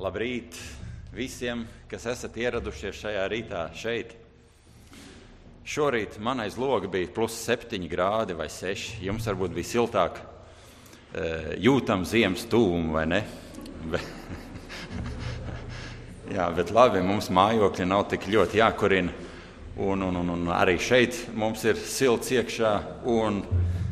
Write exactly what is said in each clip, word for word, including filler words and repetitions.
Labrīt visiem, kas esat ieradušies šajā rītā šeit. Šorīt man aiz loga bija plus septiņi grādi vai seši. Jums varbūt bija siltāk, jūtam ziemas tūmu, vai ne? Jā, bet labi, mums mājokļi nav tik ļoti jākurina. Un, un, un, un arī šeit mums ir silts iekšā. Un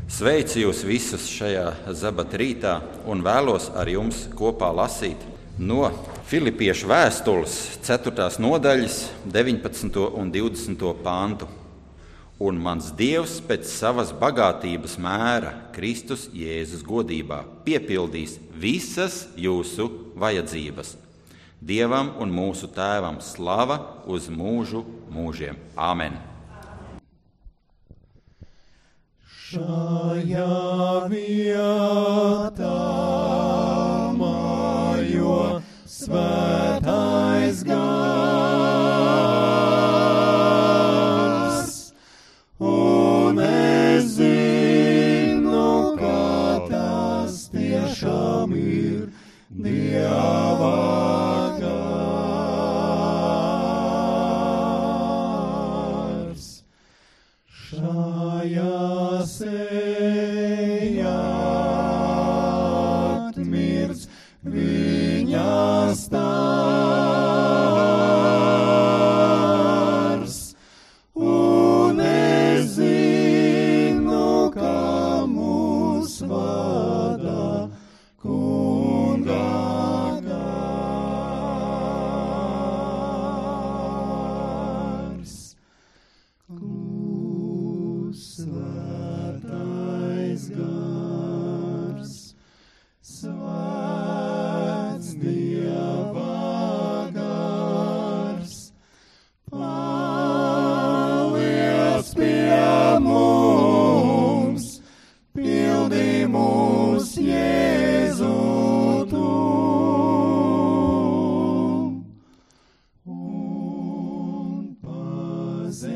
sveicu jūs visus šajā zabata rītā un vēlos ar jums kopā lasīt no Filipiešu vēstules ceturtās nodaļas deviņpadsmito un divdesmito pāntu. Un mans Dievs pēc savas bagātības mēra Kristus Jēzus godībā piepildīs visas jūsu vajadzības. Dievam un mūsu Tēvam slava uz mūžu mūžiem. Āmen. Šajā vietā mājo svētais gars, un es zinu, ka tas tiešām ir Dieva gars. Šajā sejā atmirds viņa stars, un es zinu, ka mūs vada Kunga gars. Svētais gars, svēts Dieva gars, paliec pie mums, pildi mūs Jēzu tu. Un pazemībā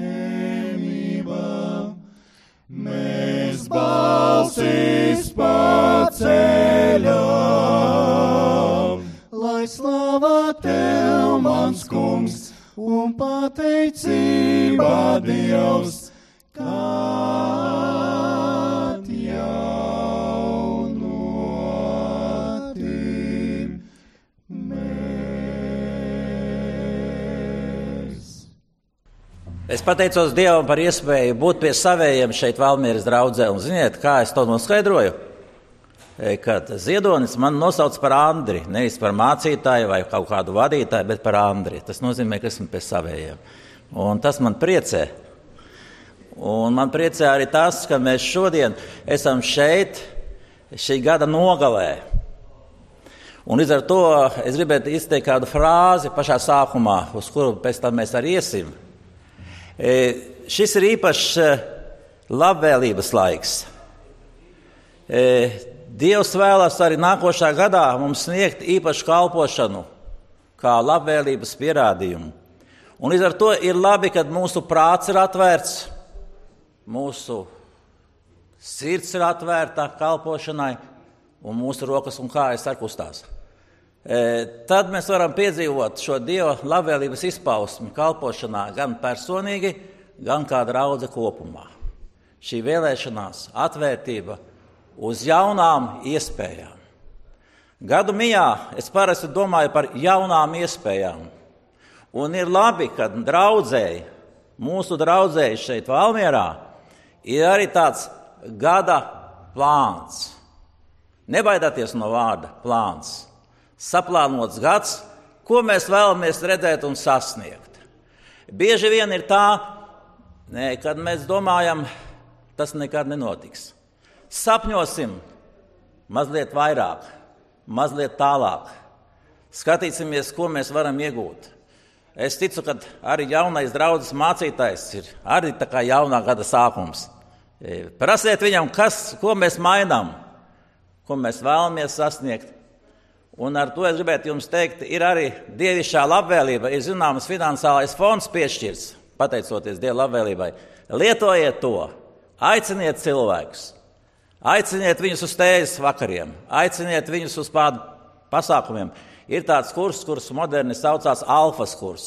mēs balsis paceļam, lai slava Tev, mans kungs, un pateicība Dievs, kad jau notīmēs. Es pateicos Dievam par iespēju būt pie savējiem šeit Valmieras draudzē. Un ziniet, kā es to noskaidroju? Kad Ziedonis man nosauc par Andri, nevis par mācītāju vai kaut kādu vadītāju, bet par Andri. Tas nozīmē, ka esmu pie savējiem. Un tas man priecē. Un man priecē arī tas, ka mēs šodien esam šeit šī gada nogalē. Un līdz ar to es gribētu izteikt kādu frāzi pašā sākumā, uz kuru pēc tam mēs arī iesim. E, šis ir īpašs labvēlības laiks. E, Dievs vēlas arī nākošā gadā mums sniegt īpašu kalpošanu, kā labvēlības pierādījumu. Un līdz ar to ir labi, kad mūsu prāts ir atvērts, mūsu sirds ir atvērta kalpošanai, un mūsu rokas un kājas ar kustās. E, tad mēs varam piedzīvot šo Dieva labvēlības izpausmi kalpošanā gan personīgi, gan kā draudze kopumā. Šī vēlēšanās, atvērtība uz jaunām iespējām. Gadu mijā es parasti domāju par jaunām iespējām. Un ir labi, ka draudzēji, mūsu draudzēji šeit Valmierā, ir arī tāds gada plāns. Nebaidāties no vārda plāns. Saplānots gads, ko mēs vēlamies redzēt un sasniegt. Bieži vien ir tā, ne, kad mēs domājam, tas nekad nenotiks. Sapņosim mazliet vairāk, mazliet tālāk. Skatīsimies, ko mēs varam iegūt. Es ticu, ka arī jaunais draudzes mācītājs ir arī tā kā jaunā gada sākums. Prasiet viņam, kas, ko mēs mainām, ko mēs vēlamies sasniegt. Un ar to es gribētu jums teikt, ir arī dievišķā labvēlība, ir zināms finansiālais fonds piešķirts, pateicoties Dieva labvēlībai. Lietojiet to, aiciniet cilvēkus, aiciniet viņus uz tējas vakariem, aiciniet viņus uz pār pasākumiem. Ir tāds kurs, kurus moderni saucās alfas kurs.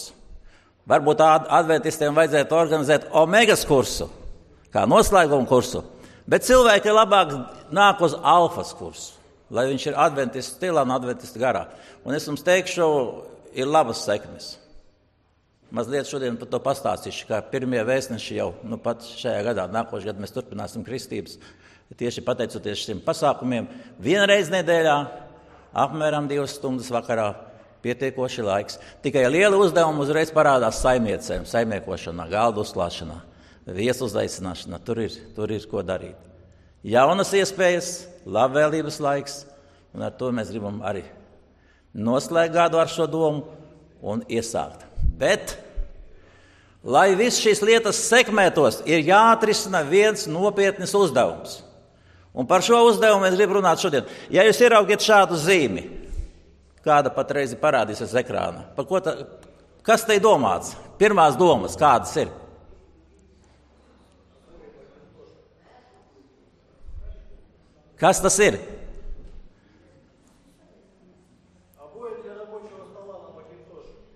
Varbūt adventistiem vajadzētu organizēt omegas kursu, kā noslēgumu kursu, bet cilvēki labāk nāk uz alfas kursu, lai viņš ir adventistu stilā un adventistu garā. Un es jums teikšu, ir labas sekmes. Mazliet šodien par to pastāstīšu, kā pirmie vēstneši jau nu pat šajā gadā, nākošajā gadā mēs turpināsim kristības, tieši pateicoties šiem pasākumiem. Vienreiz nedēļā, apmēram divas stundas vakarā, pietiekoši laiks. Tikai liela uzdevuma uzreiz parādās saimniecēm, saimniekošanā, galdu uzklāšanā, viesu uzaicināšanā. Tur ir, tur ir ko darīt. Jaunas iespējas, labvēlības laiks, un ar to mēs gribam arī noslēgt gadu ar šo domu un iesākt. Bet, lai viss šīs lietas sekmētos, ir jāatrisina viens nopietnis uzdevums. Un par šo uzdevumu es gribu runāt šodien. Ja jūs ieraugiet šādu zīmi, kāda patreiz parādīsies ekrānā. Par ko ta, kas te ir domāts? Pirmās domas, kādas ir? Kas tas ir?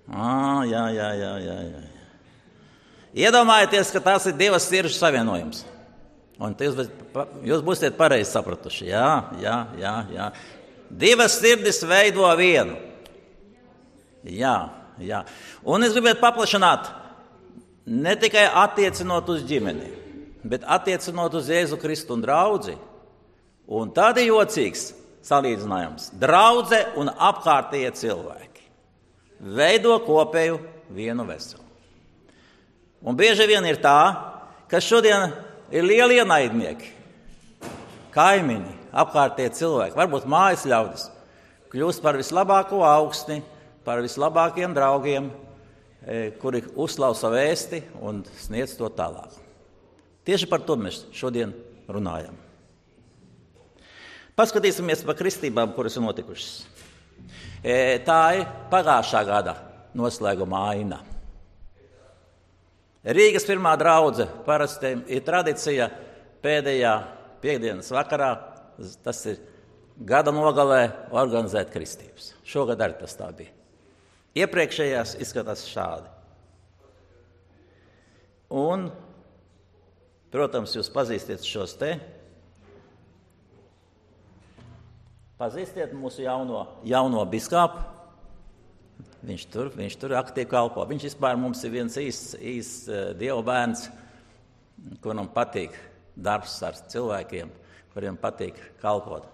Ah, jā, jā, jā, jā, jā. Iedomājieties, ka tās ir divas sirdžu savienojums. Un jūs, jūs būsiet pareizi sapratuši. Jā, jā, jā, jā. Divas sirdis veido vienu. Jā, jā. Un es gribētu paplašināt, ne tikai attiecinot uz ģimeni, bet attiecinot uz Jēzu Kristu un draudzi. Un tad ir jocīgs salīdzinājums. Draudze un apkārtējie cilvēki veido kopēju vienu veselu. Un bieži vien ir tā, ka šodien ir lieli ienaidnieki, kaimiņi, apkārtējie cilvēki, varbūt mājas ļaudis, kļūst par vislabāko augstni, par vislabākiem draugiem, kuri uzklausa vēsti un sniedz to tālāk. Tieši par to mēs šodien runājam. Paskatīsimies par kristībām, kuras ir notikušas. Tā ir pagājušā gada noslēguma aina. Rīgas pirmā draudze parasti ir tradicija pēdējā piekdienas vakarā, tas ir gada nogalē, organizēt kristības. Šogad arī tas tā bija. Iepriekšējās izskatās šādi. Un, protams, jūs pazīstiet šos te. Pazīstiet mūsu jauno, jauno biskāpu. Viņš tur, viņš tur aktīvi kalpo. Viņš vispār mums ir viens īsts, īsts uh, Dieva bērns, kuram patīk darbs ar cilvēkiem, kuriem patīk kalpot.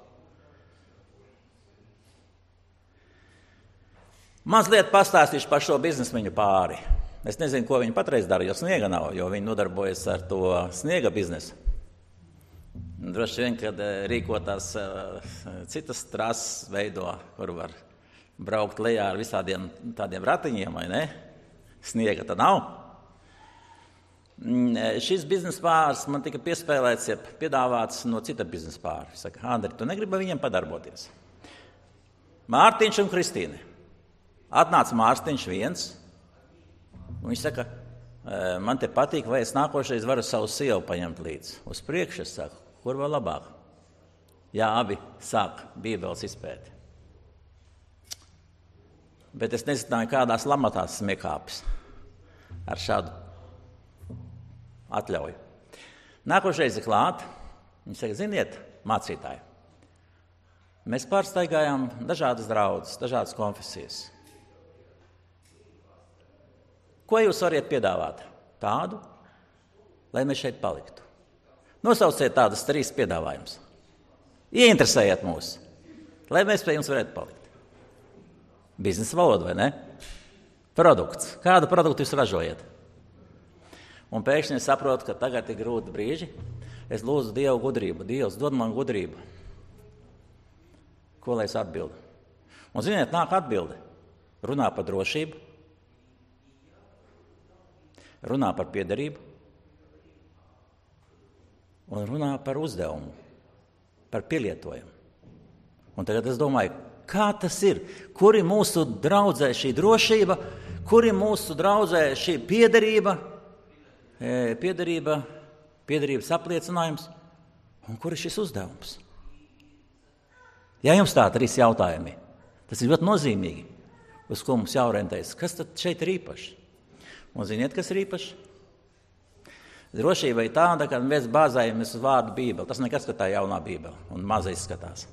Mazliet pastāstīšu par šo biznesmeņu pāri. Es nezinu, ko viņi patreiz dara, jo sniega nav, jo viņi nodarbojas ar to sniega biznesu. Droši vien, kad rīkotās uh, citas trases veido, kur var braukt lejā ar visādiem tādiem ratiņiem, vai ne? Sniega tad nav. Šis biznesa pāris man tika piespēlēts, ja piedāvāts no cita biznesa pāra. Saka, Andri, tu negribi viņiem padarboties? Mārtiņš un Kristīne. Atnāca Mārtiņš viens, un viņš saka, man te patīk, vai es nākošais varu savu sievu paņemt līdzi. Uz priekšu es saku, kur vēl labāk? Jā, abi sāk Bībeles izpēti. Bet es nezināju, kādās lamatās smiekāpis ar šādu atļauju. Nākošais ir klāt. Viņš saka, ziniet, mācītāji, mēs pārstaigājām dažādas draudzes, dažādas konfesijas. Ko jūs variet piedāvāt? Tādu, lai mēs šeit paliktu. Nosauciet tādas trīs piedāvājumus. Ieinteresējiet mūs, lai mēs pie jums varētu palikt. Biznesa valoda, vai ne? Produkts. Kādu produktu jūs ražojat? Un pēkšņi es saprotu, ka tagad ir grūti brīži. Es lūdzu Dievu gudrību. Dievs, dod man gudrību. Ko lai es atbildu? Un ziniet, nāk atbilde. Runā par drošību. Runā par piederību. Un runā par uzdevumu. Par pielietojumu. Un tagad es domāju, kā tas ir? Kur ir mūsu draudzē šī drošība? Kur ir mūsu draudzē šī piederība? E, piederība, piederības apliecinājums? Un kur ir šis uzdevums? Ja jums tā trīs jautājumi, Tas ir ļoti nozīmīgi, uz ko mums jāorientējas. Kas tad šeit ir īpaši? Un ziniet, kas ir īpaši? Drošība ir tāda, ka mēs bāzējamies uz vārdu Bībeli. Tas nekas, ka tā ir jaunā Bībele un maza izskatās.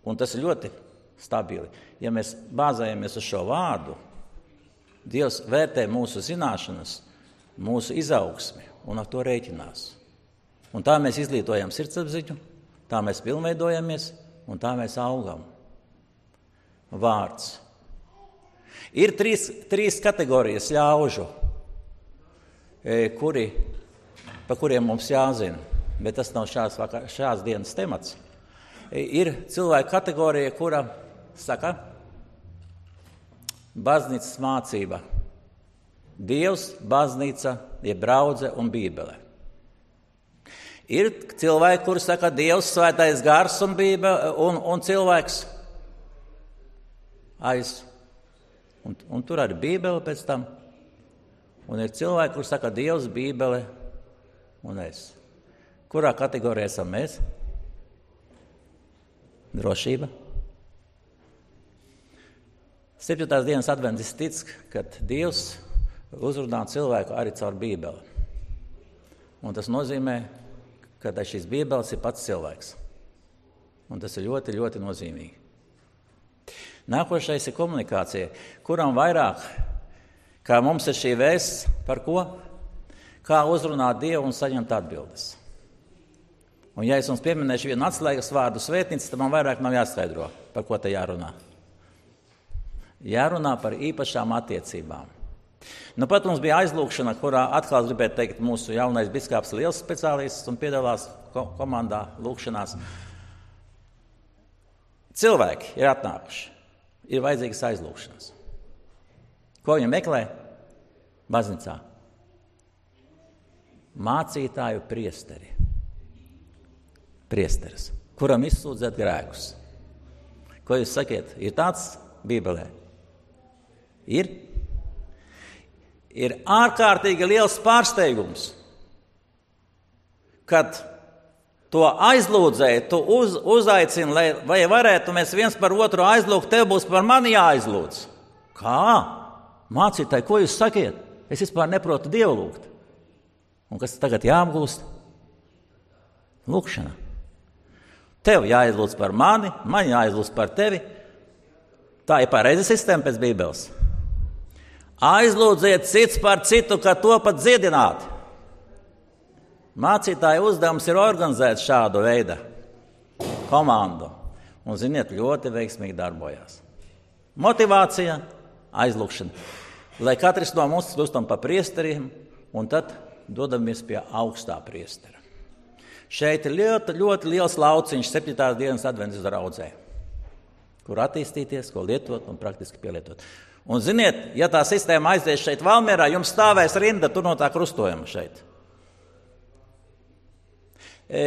Un tas ir ļoti stabili. Ja mēs bāzējamies uz šo vārdu, Dievs vērtē mūsu zināšanas, mūsu izaugsmi un ar to rēķinās. Un tā mēs izglītojam sirdsapziņu, tā mēs pilnveidojamies un tā mēs augam. Vārds. Ir trīs, trīs kategorijas ļaužu, kuri, pa kuriem mums jāzina, bet tas nav šās, šās dienas temats. Ir cilvēka kategorija, kura saka, baznīcas mācība. Dievs, baznīca, jeb draudze un Bībele. Ir cilvēki, kuri saka, Dievs, svētais gars un, bībele, un, un cilvēks aiz. Un, un tur arī Bībele pēc tam. Un ir cilvēki, kuri saka, Dievs, Bībele un es. Kurā kategorijā esam mēs? Drošība. septītās dienas adventis tic, ka Dievs uzrunā cilvēku arī caur Bībeli. Un tas nozīmē, ka šīs Bībeles ir pats cilvēks. Un tas ir ļoti, ļoti nozīmīgi. Nākošais ir komunikācija, kuram vairāk, kā mums ir šī vēsts, par ko? Kā uzrunāt Dievu un saņemt atbildes. Un ja es jums pieminēšu vienu atslēgas vārdu svētnīca, tad man vairāk nav jāskaidro, par ko te jārunā. Jārunā par īpašām attiecībām. Nu, pat mums bija aizlūkšana, kurā atkal gribētu teikt, mūsu jaunais biskāps liels speciālists un piedalās ko- komandā lūkšanās. Cilvēki ir atnākuši, ir vajadzīgas aizlūkšanas. Ko viņi meklē? Baznīcā. Mācītāju priesteri. Priesteris, kuram izsūdzēt grēkus. Ko jūs sakiet? Ir tāds Bībelē? Ir? Ir ārkārtīgi liels pārsteigums, kad to aizlūdzēju, tu uz, uzaicini, lai vai varētu mēs viens par otru aizlūgt, tev būs par mani jāaizlūdz. Kā? Mācītāji, ko jūs sakiet? Es vispār neprotu Dievu lūgt. Un kas tagad jāapgūst? Lūkšana. Tev jāaizlūdz par mani, man jāaizlūdz par tevi. Tā ir pareiza sistēma pēc Bībeles. Aizlūdziet cits par citu, ka to pat dziedināt. Mācītāja uzdevums ir organizēt šādu veidu komandu. Un, ziniet, ļoti veiksmīgi darbojās. Motivācija, aizlūkšana. Lai katrs no mums kļūstam par priesteriem, un tad dodamies pie augstā priestera. Šeit ir ļoti, ļoti liels lauciņš septītās dienas adventas draudzē, kur attīstīties, ko lietot un praktiski pielietot. Un, ziniet, ja tā sistēma aizies šeit Valmierā, jums stāvēs rinda tur no tā krustojuma šeit. E,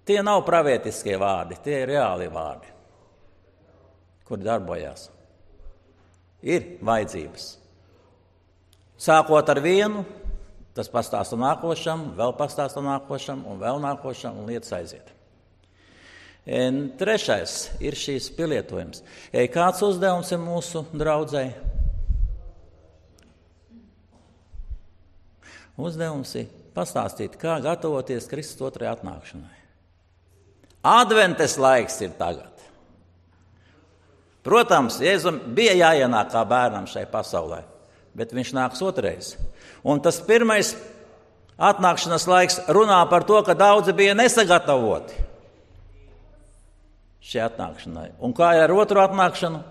tie nav pravietiskie vārdi, tie ir reāli vārdi, kuri darbojās. Ir vajadzības. Sākot ar vienu, tas pastāsta nākošam, vēl pastāsta nākošam un vēl nākošam un lietas aiziet. E, trešais ir šīs pielietojums. E, kāds uzdevums ir mūsu draudzei? Uzdevums ir pastāstīt, kā gatavoties Kristus otrajai atnākšanai. Adventes laiks ir tagad. Protams, Jēzum bija jāienāk kā bērnam šai pasaulē, bet viņš nāks otrais. Un tas pirmais atnākšanas laiks runā par to, ka daudzi bija nesagatavoti šai atnākšanai. Un kā ar otru atnākšanu?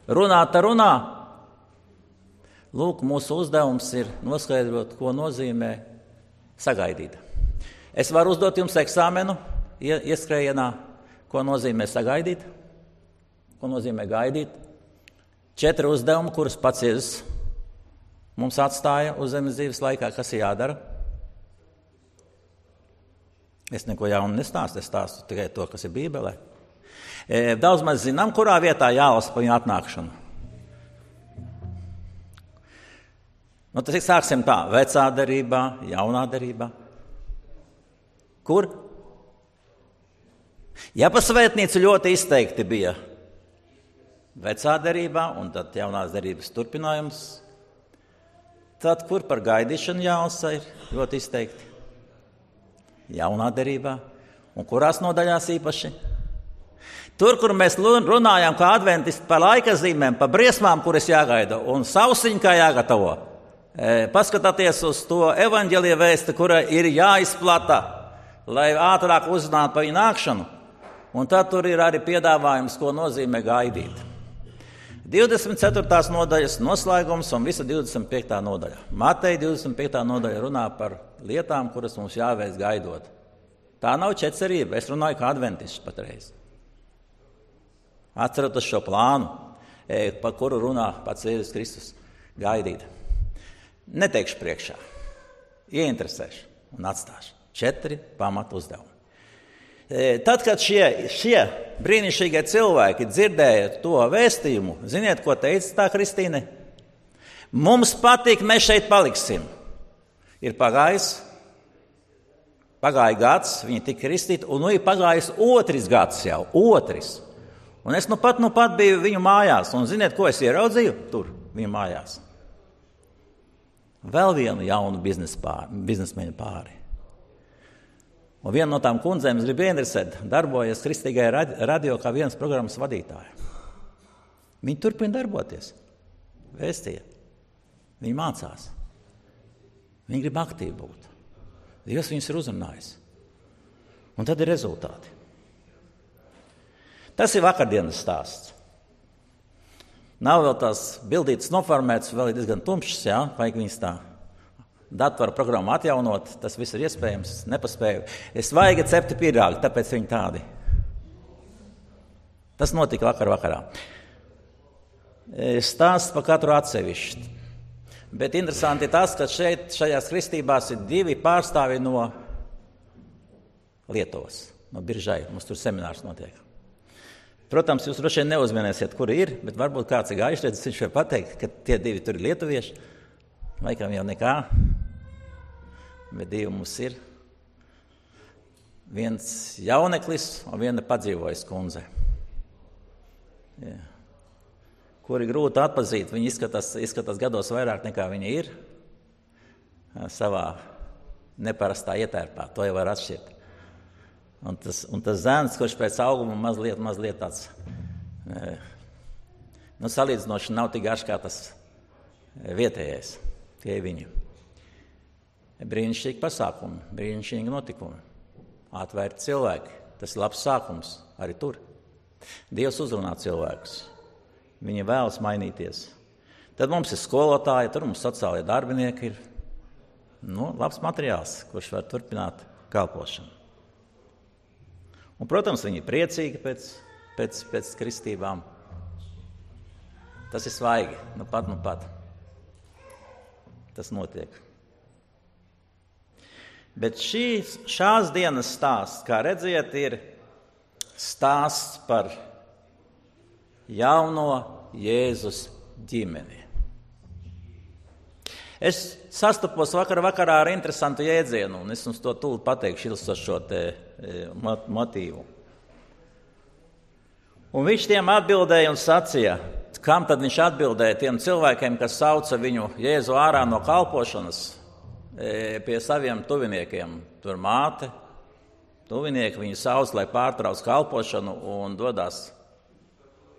Runāt ar runā. Lūk, mūsu uzdevums ir noskaidrot, ko nozīmē sagaidīt. Es varu uzdot jums eksāmenu ieskrējienā, ko nozīmē sagaidīt, ko nozīmē gaidīt. Četri uzdevumi, kurus pats Jēzus mums atstāja uz zemes dzīves laikā, kas ir jādara. Es neko jaunu nestāstu, es stāstu tikai to, kas ir Bībelē. Daudz maz zinām, kurā vietā jālasa par viņu atnākšanu. Nu, tas ir sāksim tā, vecā derībā, jaunā derībā. Kur? Ja pa svētnīcu ļoti izteikti bija vecā derībā un tad jaunās derības turpinājums, tad kur par gaidīšanu jālasa ir ļoti izteikti? Jaunā derībā. Un kurās nodaļās īpaši? Tur, kur mēs runājam kā adventisti par laika zīmēm, par briesmām, kuras jāgaida, un sausiņu kā jāgatavo. Paskatieties uz to evaņģēlija vēsti, kura ir jāizplata, lai ātrāk uzzinātu par viņu nākšanu. Un tad tur ir arī piedāvājums, ko nozīmē gaidīt. divdesmit ceturtās nodaļas noslēgums un visa divdesmit piektā nodaļa. Mateja divdesmit piektā nodaļa runā par lietām, kuras mums jāveic gaidot. Tā nav ķecerība, es runāju kā adventists patreiz. Atceroties šo plānu, par kuru runā pats Jēzus Kristus, gaidīt. Neteikšu priekšā, ieinteresēšu un atstāšu. Četri pamatu uzdevumi. Tad, kad šie, šie brīnišķīgie cilvēki dzirdēja to vēstījumu, ziniet, ko teica tā Kristīne? Mums patīk, mēs šeit paliksim. Ir pagājis, pagāja gads, viņi tika kristīti, un nu ir pagājis otrs gads jau, otrs. Un es nu pat, nu pat biju viņu mājās, un ziniet, ko es ieraudzīju tur, viņu mājās? Vēl vienu jaunu biznesmeņu pāri. Un viena no tām kundzēm, es gribu ieinteresēt, darbojas Kristīgajā radio kā vienas programmas vadītāja. Viņi turpina darboties. Vēstīja. Viņi mācās. Viņi grib aktīvi būt. Dievs viņus ir uzrunājis. Un tad ir rezultāti. Tas ir vakardienas stāsts. Nav vēl tās bildītas noformētas, vēl ir diezgan tumšas, jā, vajag viņas tā. Datoru programmu atjaunot, tas viss ir iespējams, nepaspēju. Es vajag cepti pīrāgi, tāpēc viņi tādi. Tas notika vakar vakarā. Stāsts par katru atsevišķi. Bet interesanti ir tas, ka šeit, šajās kristībās ir divi pārstāvi no Lietuvas, no Biržai. Mums tur seminārs notiek. Protams, jūs droši vien neuzminēsiet, kuri ir, bet varbūt kāds ir gājuši, redz, viņš var pateikt, ka tie divi tur ir lietuvieši. Laikam jau nekā, bet divi mums ir. Viens jauneklis un viena padzīvojas kundze. Jā. Kuri grūti atpazīt, viņi izskatās, izskatās gados vairāk nekā viņi ir. Savā neparastā ietērpā, to jau var atšķirt. Un tas, un tas zēns, kurš pēc auguma mazliet, mazliet tāds, nu, salīdzinoši nav tik garš kā tas vietējais. Tie ir viņi. Brīnišķīgi pasākumi, brīnišķīgi notikumi. Atvērti cilvēki. Tas ir labs sākums arī tur. Dievs uzrunā cilvēkus. Viņi vēlas mainīties. Tad mums ir skolotāji, tur mums sociālie darbinieki ir. Nu, labs materiāls, kurš var turpināt kalpošanu. Un, protams, viņi ir priecīgi pēc, pēc, pēc kristībām. Tas ir svaigi. Nu pat, nu pat. Tas notiek. Bet šīs, šās dienas stāsts, kā redziet, ir stāsts par jauno Jēzus ģimeni. Es sastapos vakar vakarā ar interesantu jēdzienu, un es jums to tūlīt pateikšu, ilsot šo te motīvu. Un viņš tiem atbildēja un sacīja, kam tad viņš atbildēja tiem cilvēkiem, kas sauca viņu Jēzu ārā no kalpošanas pie saviem tuviniekiem. Tur māte, tuvinieki viņu sauc, lai pārtrauc kalpošanu un dodas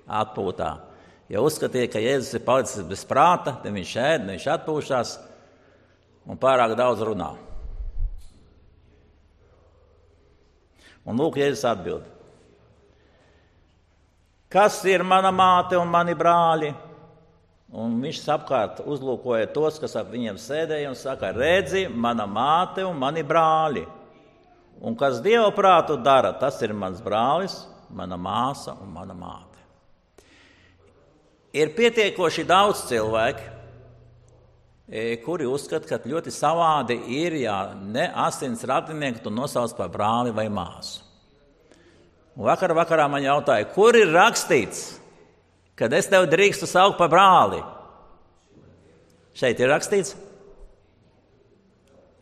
atpūtā. Ja uzskatīja, ka Jēzus ir palicis bez prāta, tad viņš ēd, viņš atpūšās un pārāk daudz runā. Un lūk, Jēzus atbild. Kas ir mana māte un mani brāļi? Un viņš apkārt uzlūkoja tos, kas ap viņiem sēdēja un saka, redzi, mana māte un mani brāļi. Un kas Dieva prātu dara, tas ir mans brālis, mana māsa un mana māte. Ir pietiekoši daudz cilvēku, kuri uzskata, ka ļoti savādi ir, ja ne asins radinieku tu nosauc par brāli vai māsu. Un vakar vakarā man jautāja, kur ir rakstīts, kad es tev drīkstu saukt par brāli? Šeit ir rakstīts.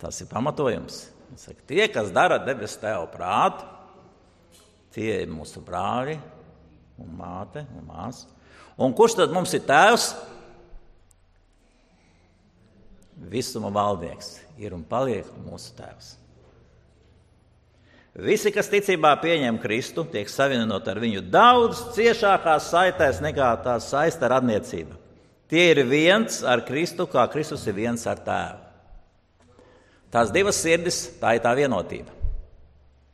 Tas ir pamatojums. Saka, tie, kas dara debes tēva prātu, Tie ir mūsu brāļi un māte un māsa. Un kurš tad mums ir tēvs? Visuma valdnieks ir un paliek mūsu tēvs. Visi, kas ticībā pieņem Kristu, tiek savienoti ar viņu daudz ciešākās saitēs nekā tās saista radniecība. Tie ir viens ar Kristu, kā Kristus ir viens ar tēvu. Tās divas sirdis, tā ir tā vienotība.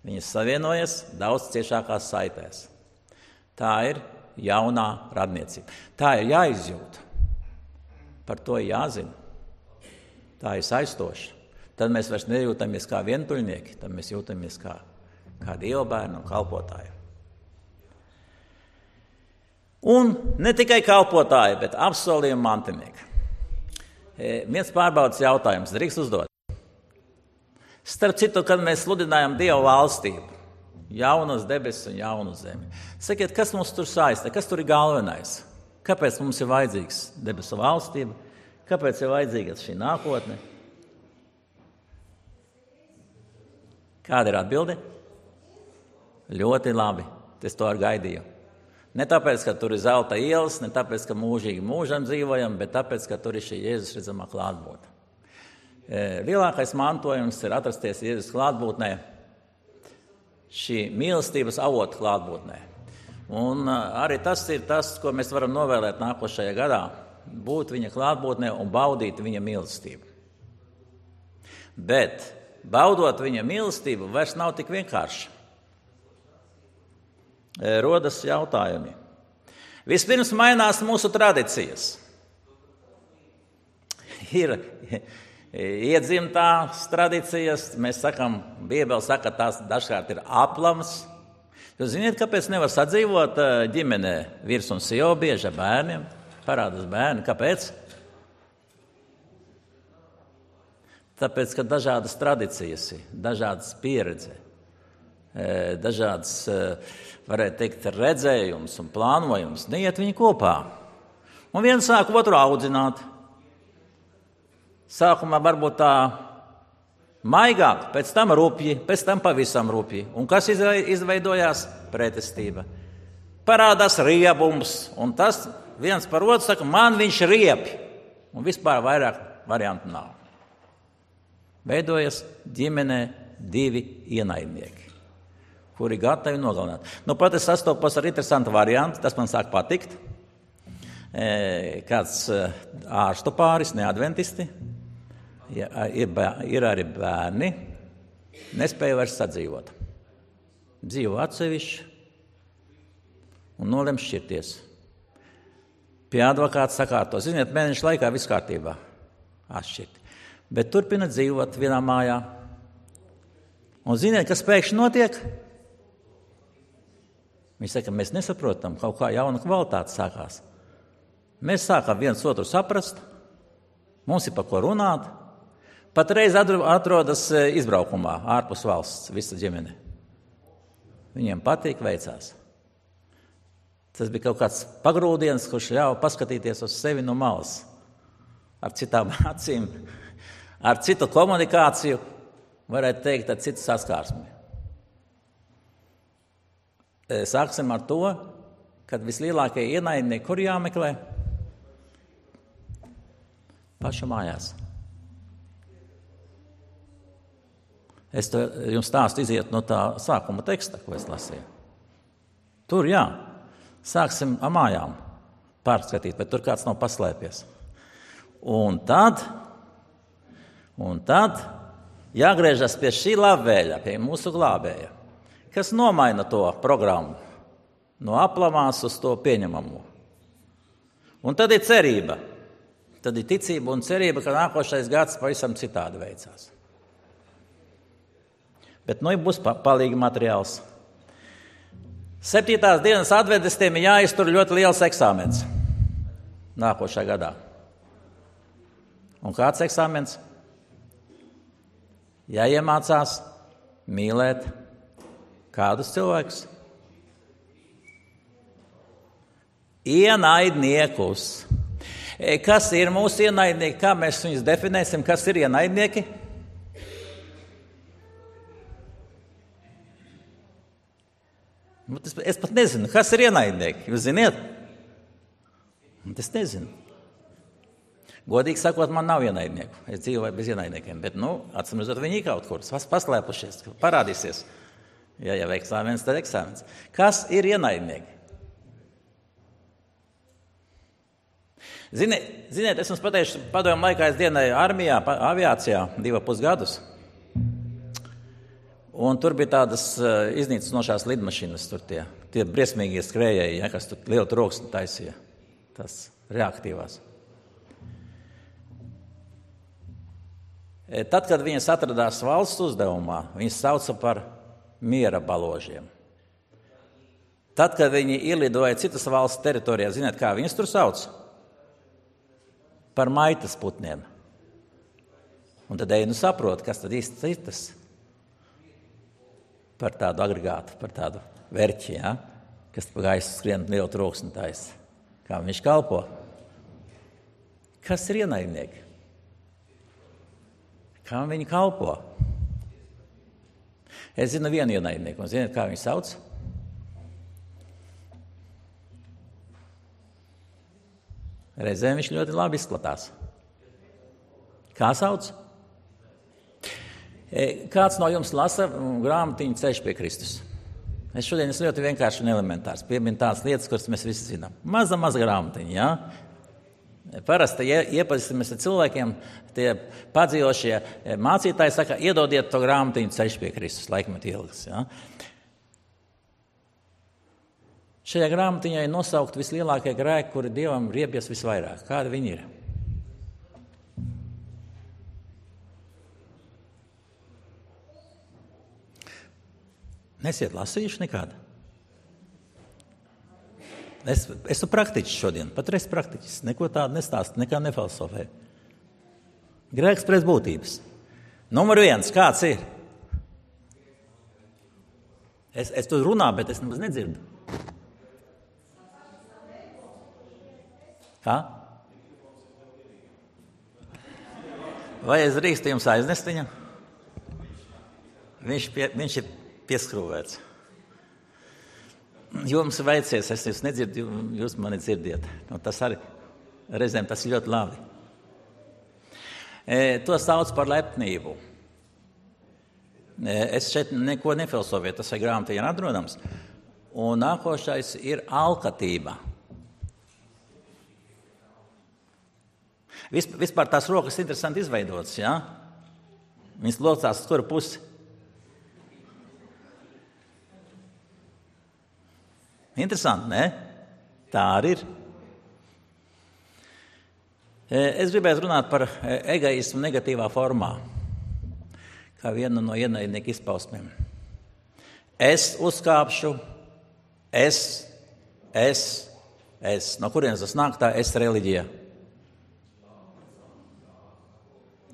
Viņas savienojas daudz ciešākās saitēs. Tā ir jaunā radniecība. Tā ir jāizjūt. Par to ir jāzina. Tā ir saistoša. Tad mēs vairs nejūtamies kā vientuļnieki, tad mēs jūtamies kā, kā Dieva bērni un kalpotāji. Un ne tikai kalpotāji, bet apsolījuma mantinieki. E, viens pārbaudas jautājums, drīkst uzdot. Starp citu, kad mēs sludinājam Dieva valstību, jaunas debesis un jaunu zemi. Sakiet, kas mums tur saista, kas tur ir galvenais? Kāpēc mums ir vajadzīgs debesu valstība? Kāpēc ir vajadzīga šī nākotne? Kāda ir atbilde? Ļoti labi, es to arī gaidīju. Ne tāpēc, ka tur ir zelta ielas, ne tāpēc, ka mūžīgi mūžam dzīvojam, bet tāpēc, ka tur ir šī Jēzus redzamā klātbūtne. Lielākais mantojums ir atrasties Jēzus klātbūtnē, šī mīlestības avota klātbūtnē. Un arī tas ir tas, ko mēs varam novēlēt nākošajā gadā. Būt viņa klātbūtnē un baudīt viņa mīlestību. Bet baudot viņa mīlestību vairs nav tik vienkārši. Rodas jautājumi. Vispirms mainās mūsu tradīcijas. Ir iedzimtās tradīcijas, mēs sakam, Bībele saka, tās dažkārt ir aplams. Jūs ziniet, kāpēc nevar sadzīvot ģimenē vīrs un sieva bieži ar bērniem? Parādās bērni. Kāpēc? Tāpēc, ka dažādas tradīcijas ir, dažādas pieredze, dažādas, varētu teikt, redzējums un plānojums. Neiet viņi kopā. Un viens sāk otru audzināt. Sākumā varbūt tā maigāk, pēc tam rupji, pēc tam pavisam rupji. Un kas izveidojās? Pretestība. Parādās riebums, un tas viens par otru saka, man viņš riepi, un vispār vairāk variantu nav. Veidojas ģimenē divi ienaidnieki, kuri gatavi nogalināt. Nu, pat es sastopos ar interesantu variantu, tas man sāk patikt. Kāds ārstu pāris, neadventisti, ir arī bērni, nespēja vairs sadzīvot. Dzīvo atsevišķi un nolem šķirties. Pie advokāta sakārto. Ziniet, mēneša laikā viss kārtībā atšķirt. Bet turpina dzīvot vienā mājā. Un ziniet, kas pēkšņi notiek? Viņi saka, mēs nesaprotam, kaut kā jauna kvalitāte sākās. Mēs sākam viens otru saprast, mums ir par ko runāt. Patreiz atrodas izbraukumā ārpus valsts, visa ģimene. Viņiem patīk, veicās. Tas bija kaut kāds pagrūdiens, kurš ļauj paskatīties uz sevi no malas. Ar citām acīm, ar citu komunikāciju, varētu teikt, ar citu saskārsmi. Sāksim ar to, kad vislielākie ienaidnieki, kur jāmeklē? Pašu mājās. Es to jums stāstu iziet no tā sākuma teksta, ko es lasīju. Tur jā. Sāksim ar mājām pārskatīt, bet tur kāds nav paslēpies. Un tad, un tad jāgriežas pie šī labvēļa, pie mūsu glābēja, kas nomaina to programmu no aplamās uz to pieņemamo. Un tad ir cerība. Tad ir ticība un cerība, ka nākošais gads pavisam citādi veicās. Bet nu būs palīgi materiāls. Septītās dienas adventistiem ir jāiztur ļoti liels eksāmens nākošajā gadā. Un kāds eksāmens? Jāiemācās mīlēt kādus cilvēkus? Ienaidniekus. Kas ir mūsu ienaidnieki? Kā mēs viņus definēsim? Kas ir ienaidnieki? es pat nezinu, kas ir ienaidnieki. Jūs ziniet? Es nezinu. Godīgi sakot, man nav ienaidnieku. Es dzīvoju bez ienaidniekiem, bet, nu, atsimredzot, viņi ir kaut kur paslēpušies, parādīsies. Ja jau eksāmens, tad eksāmens. Kas ir ienaidnieki? Zini, ziniet, es jums pateikšu, padomju laikā es dienēju armijā, aviācijā, divu pusgadus. Un tur bija tādas uh, iznīcinošās lidmašīnas, tur tie, tie briesmīgie skrējēji, ja, kas tur lielu troksni taisīja, tas reaktīvās. E, tad, kad viņas atradās valsts uzdevumā, viņas sauca par miera baložiem. Tad, kad viņi ielidoja citas valsts teritorijā, ziniet, kā viņas tur sauc? Par maitas putniem. Un tad ej, nu saprot, kas tad īsti ir tas par tādu agregātu, par tādu verķi, ja? Kas pa gaisu skrien lielu troksni taisa. Kā viņš kalpo? Kas ir ienaidnieki? Kā viņi kalpo? Es zinu vienu ienaidnieku, un ziniet, kā viņu sauc? Reizēm viņš ļoti labi izskatās. Kā sauc? Kāds no jums lasa grāmatiņu Ceļš pie Kristus? Es šodien esmu ļoti vienkārši un elementārs. Pieminu tādas lietas, kuras mēs visi zinām. Maza, maza grāmatiņa, jā? Parasti iepazīstamies ar cilvēkiem, tie padzīvošie mācītāji saka, iedodiet to grāmatiņu Ceļš pie Kristus, laikmet ilgas, jā? Šajā grāmatiņā ir nosaukt vislielākie grēki, kuri Dievam riebies visvairāk. Kādi viņi ir? Nesiet lasījuši nekādu? Es esmu praktiķis šodien, patreiz praktiķis. Neko tādu nestāstu, nekā nefilosofēju. Grēks pēc būtības. Numur viens, kāds ir? Es, es tur runā, bet es nemaz nedzirdu. Kā? Vai es drīkstu jums aiznest viņu? Viņš, pie, viņš ir pieskrūvēts. Jums veicies, es jūs nedzirdu, jūs mani dzirdiet. Nu, tas arī reizēm tas ir ļoti labi. E, to sauc par lepnību. E, es šeit neko nefilosofēju, tas ir grāmatiņā atrodams. Un nākošais ir alkatība. Vispār tās rokas interesanti izveidotas, jā? Viņas locās uz kuru pusi. Interesanti, ne? Tā arī ir. Es gribētu runāt par egoismu negatīvā formā, kā vienu no ienaidnieku izpausmēm. Es uzkāpšu, es, es, es. No kurienes tas nāk tā es reliģija?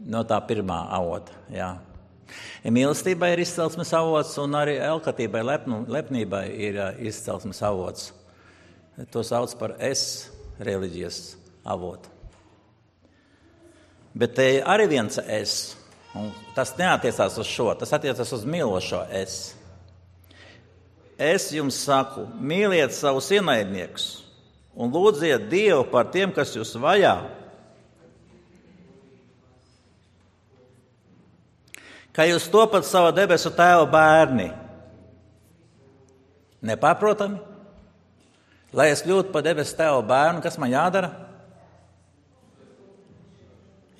No tā pirmā avota, jā. Mīlestībai ir izcelsmes avots, un arī alkatībai, lepnu, lepnībai ir izcelsmes avots. To sauc par es reliģijas avotu. Bet te arī viens es, un tas neatiecās uz šo, tas attiecās uz mīlošo es. Es jums saku, mīliet savus ienaidniekus un lūdziet Dievu par tiem, kas jūs vajā. Ka jūs topat sava debesu tēva bērni. Nepārprotami? Lai es kļūtu par debesu tēva bērnu, kas man jādara?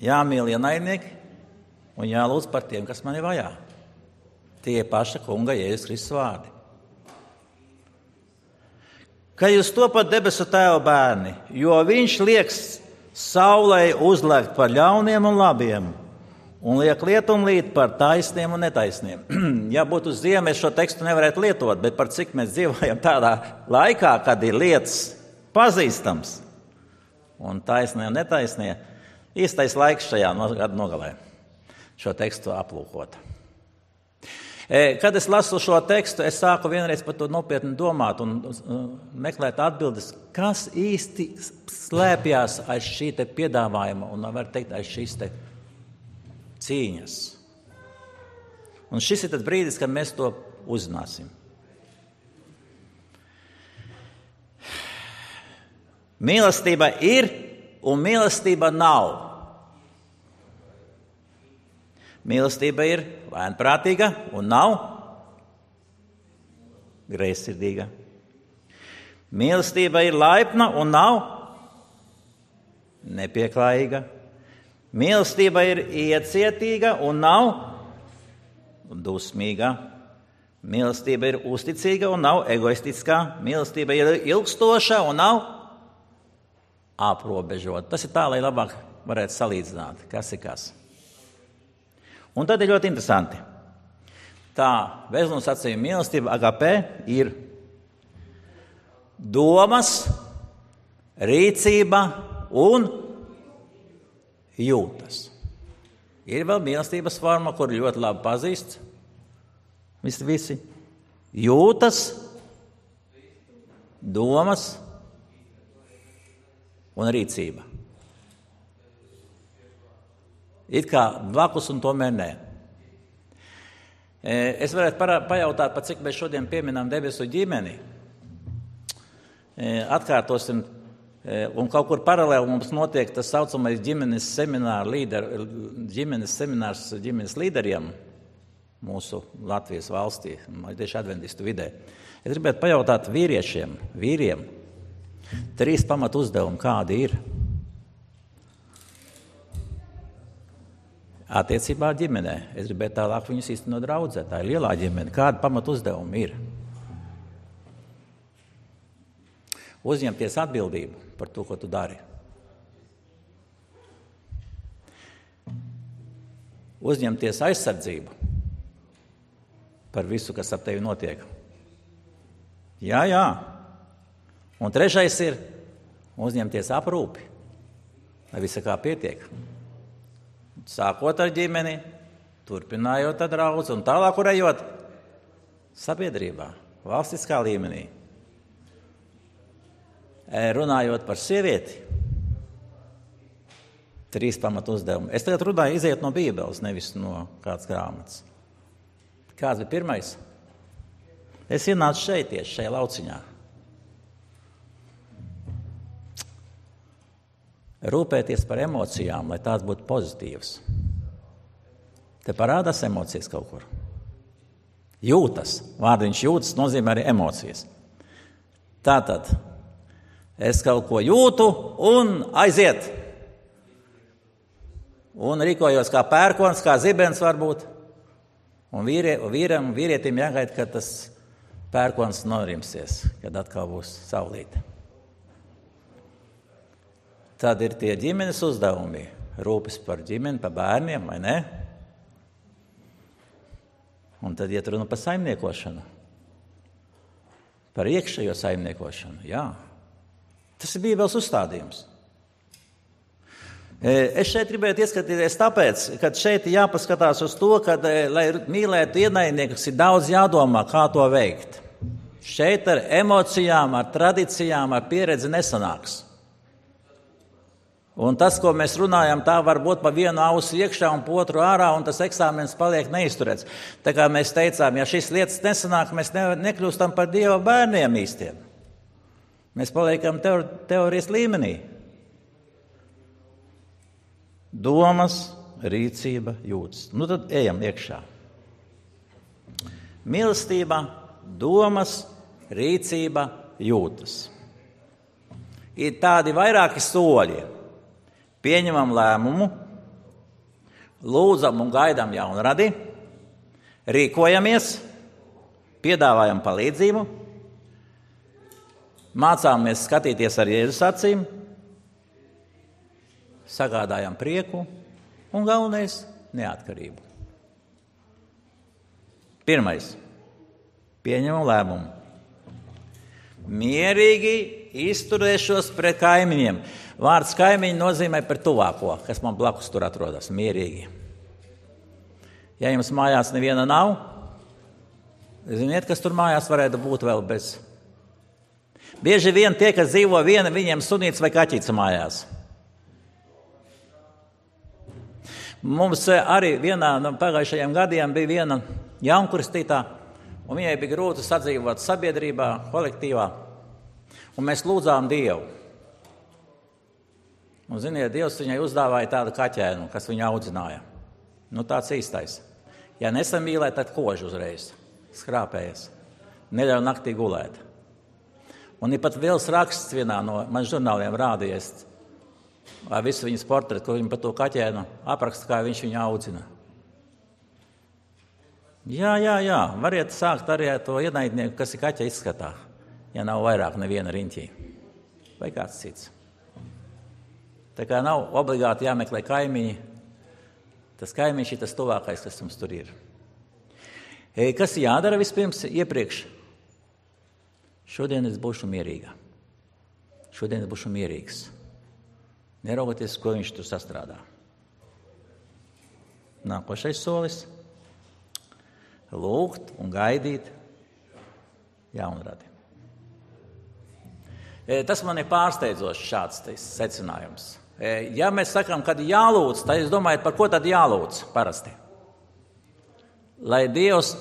Jāmīl ienaidnieki un jālūdz par tiem, kas mani vajā. Tie paša kunga Jēzus Kristus vārdi. Ka jūs topat debesu tēva bērni, jo viņš lieks saulei uzlēkt par ļauniem un labiem, un liek lietumlīt par taisniem un netaisniem. Ja būtu uz ziemu, es šo tekstu nevarētu lietot, bet par cik mēs dzīvojam tādā laikā, kad ir lietas pazīstams un taisnie un netaisnie, īstais laiks šajā gada nogalē šo tekstu aplūkot. Kad es lasu šo tekstu, es sāku vienreiz par to nopietni domāt un meklēt atbildes, kas īsti slēpjās aiz šī te piedāvājuma un, var teikt, aiz šīs te cīņas. Un šis ir tad brīdis, kad mēs to uzzināsim. Mīlestība ir un mīlestība nav. Mīlestība ir lēnprātīga un nav greizsirdīga. Mīlestība ir laipna un nav nepieklājīga. Mīlestība ir iecietīga un nav dusmīga. Mīlestība ir uzticīga un nav egoistiskā. Mīlestība ir ilgstoša un nav aprobežota. Tas ir tā, lai labāk varētu salīdzināt, kas ir kas. Un tad ir ļoti interesanti. Tā Vēstules sacījuma mīlestība agapē ir domas, rīcība un jūtas. Ir vēl mīlestības forma, kur ļoti labi pazīst. Visi, visi. Jūtas, domas un rīcība. It kā blakus un tomēr nē. Es varētu parā, pajautāt, pa cik mēs šodien pieminām debesu ģimeni. Atkārtosim, un kaut kur paralēli mums notiek tas saucamais ģimenes seminārs, līder, ģimenes seminārs ģimenes līderiem mūsu Latvijas valstī, tieši adventistu vidē. Es gribētu pajautāt vīriešiem, vīriem, trīs pamatu uzdevumi, kādi ir attiecībā ģimenē. Es gribētu tālāk viņus īstenot draudzē. Tā ir lielā ģimene. Kādi pamatu uzdevumi ir? Uzņemties atbildību par to, ko tu dari. Uzņemties aizsardzību par visu, kas ap tevi notiek. Jā, jā. Un trešais ir uzņemties aprūpi, lai visa kā pietiek. Sākot ar ģimeni, turpinājot ar draudzi un tālāk urējot sabiedrībā, valstiskā līmenī. Runājot par sievieti, trīs pamatu uzdevumi. Es tagad runāju iziet no Bībeles, nevis no kādas grāmatas. Kāds bija pirmais? Es ienācu šeit tieši, šajā lauciņā. Rūpēties par emocijām, lai tās būtu pozitīvas. Te parādās emocijas kaut kur. Jūtas. Vārdiņš jūtas nozīmē arī emocijas. Tātad, es kaut ko jūtu un aiziet. Un rīkojos kā pērkons, kā zibens varbūt. Un vīrie, vīram, vīrietim jāgaida, ka tas pērkons norimsies, kad atkal būs saulīte. Tad ir tie ģimenes uzdevumi, rūpes par ģimeni, par bērniem, vai ne? Un tad iet runa par saimniekošanu. Par iekšējo saimniekošanu, jā. Tas ir Bībeles uzstādījums. Es šeit gribētu ieskatīties tāpēc, ka šeit jāpaskatās uz to, ka, lai mīlētu ienaidniekus, ir daudz jādomā, kā to veikt. Šeit ar emocijām, ar tradīcijām, ar pieredzi nesanāks. Un tas, ko mēs runājam, tā var būt pa vienu ausi iekšā un pa otru ārā, un tas eksāmens paliek neizturēts. Tā kā mēs teicām, ja šīs lietas nesanāk, mēs ne, nekļūstam par Dieva bērniem īstiem. Mēs paliekam teor, teorijas līmenī. Domas, rīcība, jūtas. Nu tad ejam iekšā. Mīlestība, domas, rīcība, jūtas. Ir tādi vairāki soļi. Pieņemam lēmumu, lūdzam un gaidām jaunradi, rīkojamies, piedāvājam palīdzību, mācāmies skatīties ar Jēzus acīm, sagādājam prieku un galvenais – neatkarību. Pirmais – pieņemam lēmumu. Mierīgi izturēšos pret kaimiņiem. Vārds kaimiņi nozīmē par tuvāko, kas man blakus tur atrodas, mierīgi. Ja jums mājās neviena nav, ziniet, kas tur mājās varētu būt vēl bez. Bieži vien tie, kas dzīvo viena, viņiem sunīts vai kaķīts mājās. Mums arī vienā no pagājušajiem gadiem bija viena jaunkristītā, un viņai bija grūti sadzīvot sabiedrībā, kolektīvā, un mēs lūdzām Dievu. Un, ziniet, Dievs viņai uzdāvāja tādu kaķēnu, kas viņu audzināja. Nu, tāds īstais. Ja nesamīlē, tad kož uzreiz, skrāpējas. Neļauj naktī gulēt. Un ir pat viels raksts vienā no man žurnāliem rādījies ar visu viņas portretu, ko viņa par to kaķēnu apraksta, kā viņš viņu audzina. Jā, jā, jā, variet sākt arī ar to ienaidnieku, kas ir kaķa izskatā, ja nav vairāk neviena riņķī. Vai kāds cits. Tā kā nav obligāti jāmeklē kaimiņi, tas kaimiņš ir tas tuvākais, kas mums tur ir. E, kas jādara vispirms iepriekš? Šodien es būšu mierīga. Šodien es būšu mierīgs. Neraugoties, ko viņš tur sastrādā. Nākošais solis. Lūgt un gaidīt jaunradi. E, tas man ir pārsteidzošs šāds secinājums. E, ja mēs sakām, kad jālūdz, tad es domāju, par ko tad jālūdz parasti? Lai Dievs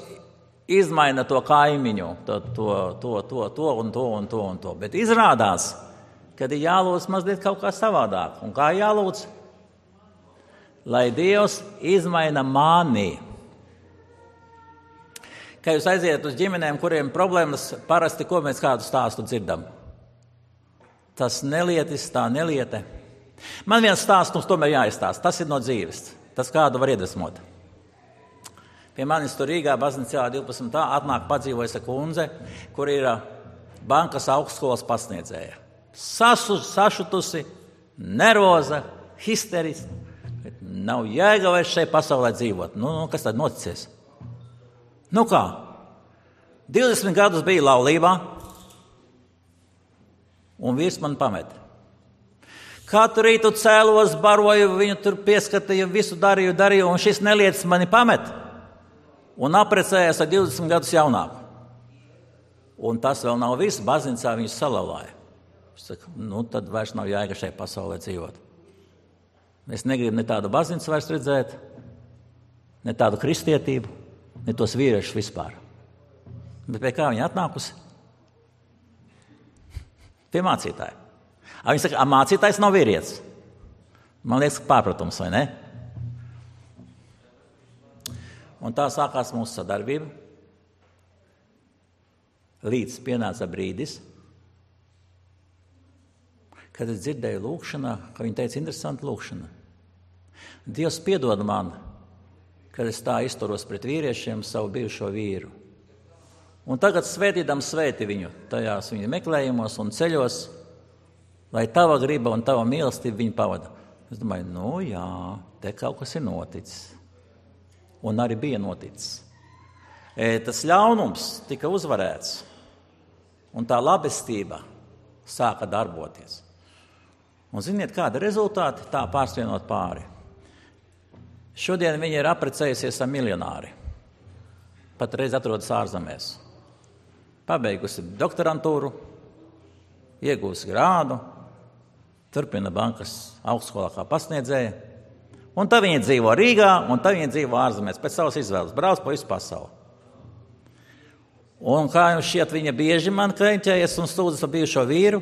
izmaina to kaimiņu, to, to, to, to, to un to un to un to. Bet izrādās, kad ir jālūdz mazliet kaut kā savādāk. Un kā jālūdz? Lai Dievs izmaina mani. Kad jūs aiziet uz ģimenēm, kuriem problēmas, parasti ko mēs kādu stāstu dzirdam? Tas nelietis, tā neliete. Man viens stāsts mums tomēr jāizstāst. Tas ir no dzīves. Tas kādu var iedvesmot. Pie manis tur Rīgā baznīcā divpadsmit atnāk padzīvojusi kundze, kur ir bankas augstskolas pasniedzēja. Sasu, sašutusi, nervoza, histeriska. Nav jēga vairs šeit pasaulē dzīvot. Nu, nu, kas tad noticies? Nu kā? divdesmit gadus bija laulībā, un vīrs man pamet. Katru rītu cēlos, baroju, viņu tur pieskatīju, visu darīju, darīju, un šis nelietis mani pamet. Un aprecējās ar divdesmit gadus jaunāku. Un tas vēl nav viss, baznīcā viņus salauzāja. Es saku, nu tad vairs nav jēga šeit pasaulē dzīvot. Es negribu ne tādu baznīcu vairs redzēt, ne tādu kristietību, ne tos vīriešus vispār. Bet pie kā viņa atnākusi? Pie mācītāja. A viņa saka, a mācītājs nav vīrietis. Man liekas, pārpratums, vai ne? Un tā sākās mūsu sadarbība. Līdz pienāca brīdis, kad es dzirdēju lūkšanā, ka viņa teica, interesanti lūkšana. Dievs piedod man, kad es tā izturos pret vīriešiem savu bijušo vīru. Un tagad svētīdam svēti viņu tajās viņa meklējumos un ceļos, lai tava griba un tava mīlestība viņu pavada. Es domāju, nu jā, te kaut kas ir noticis. Un arī bija noticis. E, tas ļaunums tika uzvarēts, un tā labestība sāka darboties. Un ziniet, kāda rezultāti? Tā pārsvienot pāri. Šodien viņa ir apprecējusies ar miljonāri. Patreiz atrodas ārzemēs. Pabeigusi doktorantūru, iegūsi grādu, turpina bankas augstskolā kā pasniedzēja. Un tā viņa dzīvo Rīgā, un tā viņa dzīvo ārzemēs, pēc savas izvēles, brauc pa visu pasauli. Un kā jums šķiet, viņa bieži man kreņķējas un sūdzas par bijušo vīru,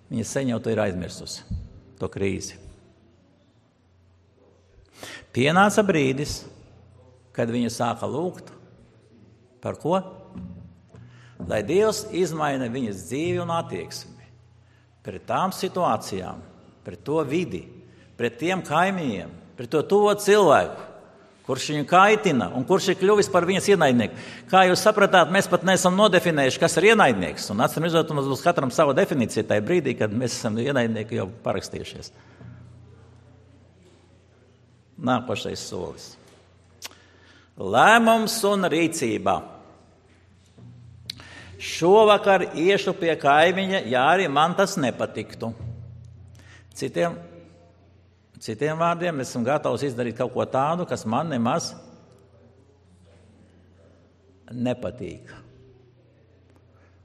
viņa sen jau to ir aizmirsusi, to krīzi. Pienāca brīdis, kad viņa sāka lūgt, par ko? Lai Dievs izmaina viņas dzīvi un attieksmi pret tām situācijām, pret to vidi, pret tiem kaimiņiem, pret to tuvo cilvēku, kurš viņu kaitina un kurš ir kļuvis par viņas ienaidnieku. Kā jūs sapratāt, mēs pat neesam nodefinējuši, kas ir ienaidnieks. Un atcīm redzot, mums būs katram sava definīcija tajā brīdī, kad mēs esam ienaidnieki jau parakstījušies. Nākošais solis. Lēmums un rīcība. Šovakar iešu pie kaimiņa, ja arī man tas nepatiktu. Citiem, citiem vārdiem, es esmu gatavs izdarīt kaut ko tādu, kas man nemaz nepatīk.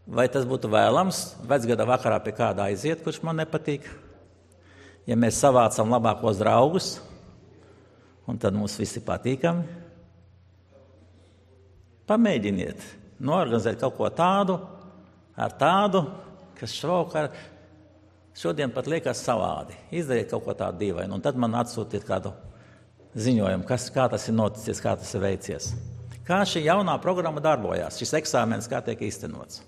Vai tas būtu vēlams vecgada vakarā pie kāda aiziet, kurš man nepatīk? Ja mēs savācam labākos draugus, un tad mums visi patīkami, pamēģiniet noorganizēt kaut ko tādu, ar tādu, kas šovakar Šodien pat liekas savādi. Izdariet kaut ko tādu dīvainu, un tad man atsūtiet kādu ziņojumu, kas, kā tas ir noticis, kā tas ir veicies. Kā šī jaunā programma darbojās, šis eksāmens kā tiek īstenots.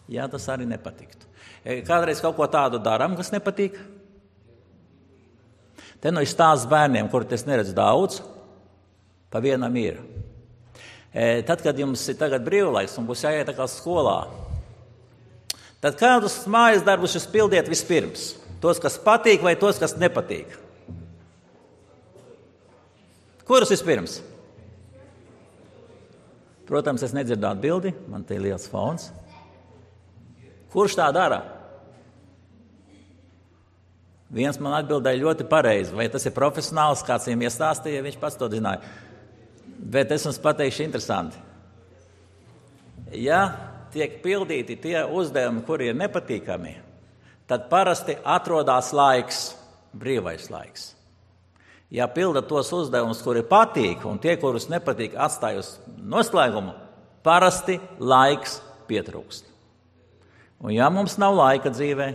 Jā, tas arī nepatiktu. Kādreiz kaut ko tādu darām, kas nepatīk? Te nu ir stāsts bērniem, kuri es neredzu daudz, pa vienam ir. Tad, kad jums ir tagad brīvlaiks un būs jāiet atkal skolā, tad kādus mājas darbus jūs pildiet vispirms? Tos, kas patīk, vai tos, kas nepatīk? Kurus vispirms? Protams, es nedzirdu atbildi, man te ir liels fons. Kurš tā dara? Viens man atbildēja ļoti pareizi, vai tas ir profesionāls, kāds viņam iestāstīja, viņš pats to zināja. Bet es jums pateikšu interesanti. Ja tiek pildīti tie uzdevumi, kuri ir nepatīkami, tad parasti atrodas laiks, brīvais laiks. Ja pilda tos uzdevumus, kuri patīk, un tie, kurus nepatīk, atstāj uz noslēgumu, parasti laiks pietrūkst. Un ja mums nav laika dzīvē,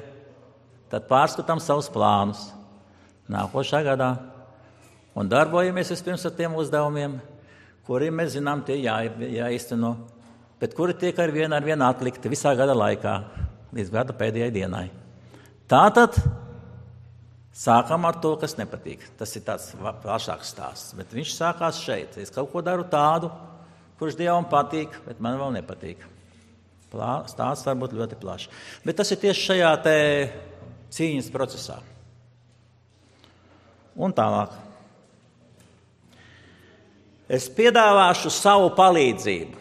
tad pārskatām savus plānus nākošā gadā un darbojamies vispirms ar tiem uzdevumiem, kuri mēs zinām, tie jā, jāizteno, bet kuri tiek ar vienu ar vienu atlikti visā gada laikā, līdz gada pēdējai dienai. Tātad sākam ar to, kas nepatīk. Tas ir tāds plašāks stāsts, bet viņš sākās šeit. Es kaut ko daru tādu, kurš Dievam patīk, bet man vēl nepatīk. Plā, stāsts var būt ļoti plašs. Bet tas ir tieši šajā te cīņas procesā. Un tālāk. Es piedāvāšu savu palīdzību.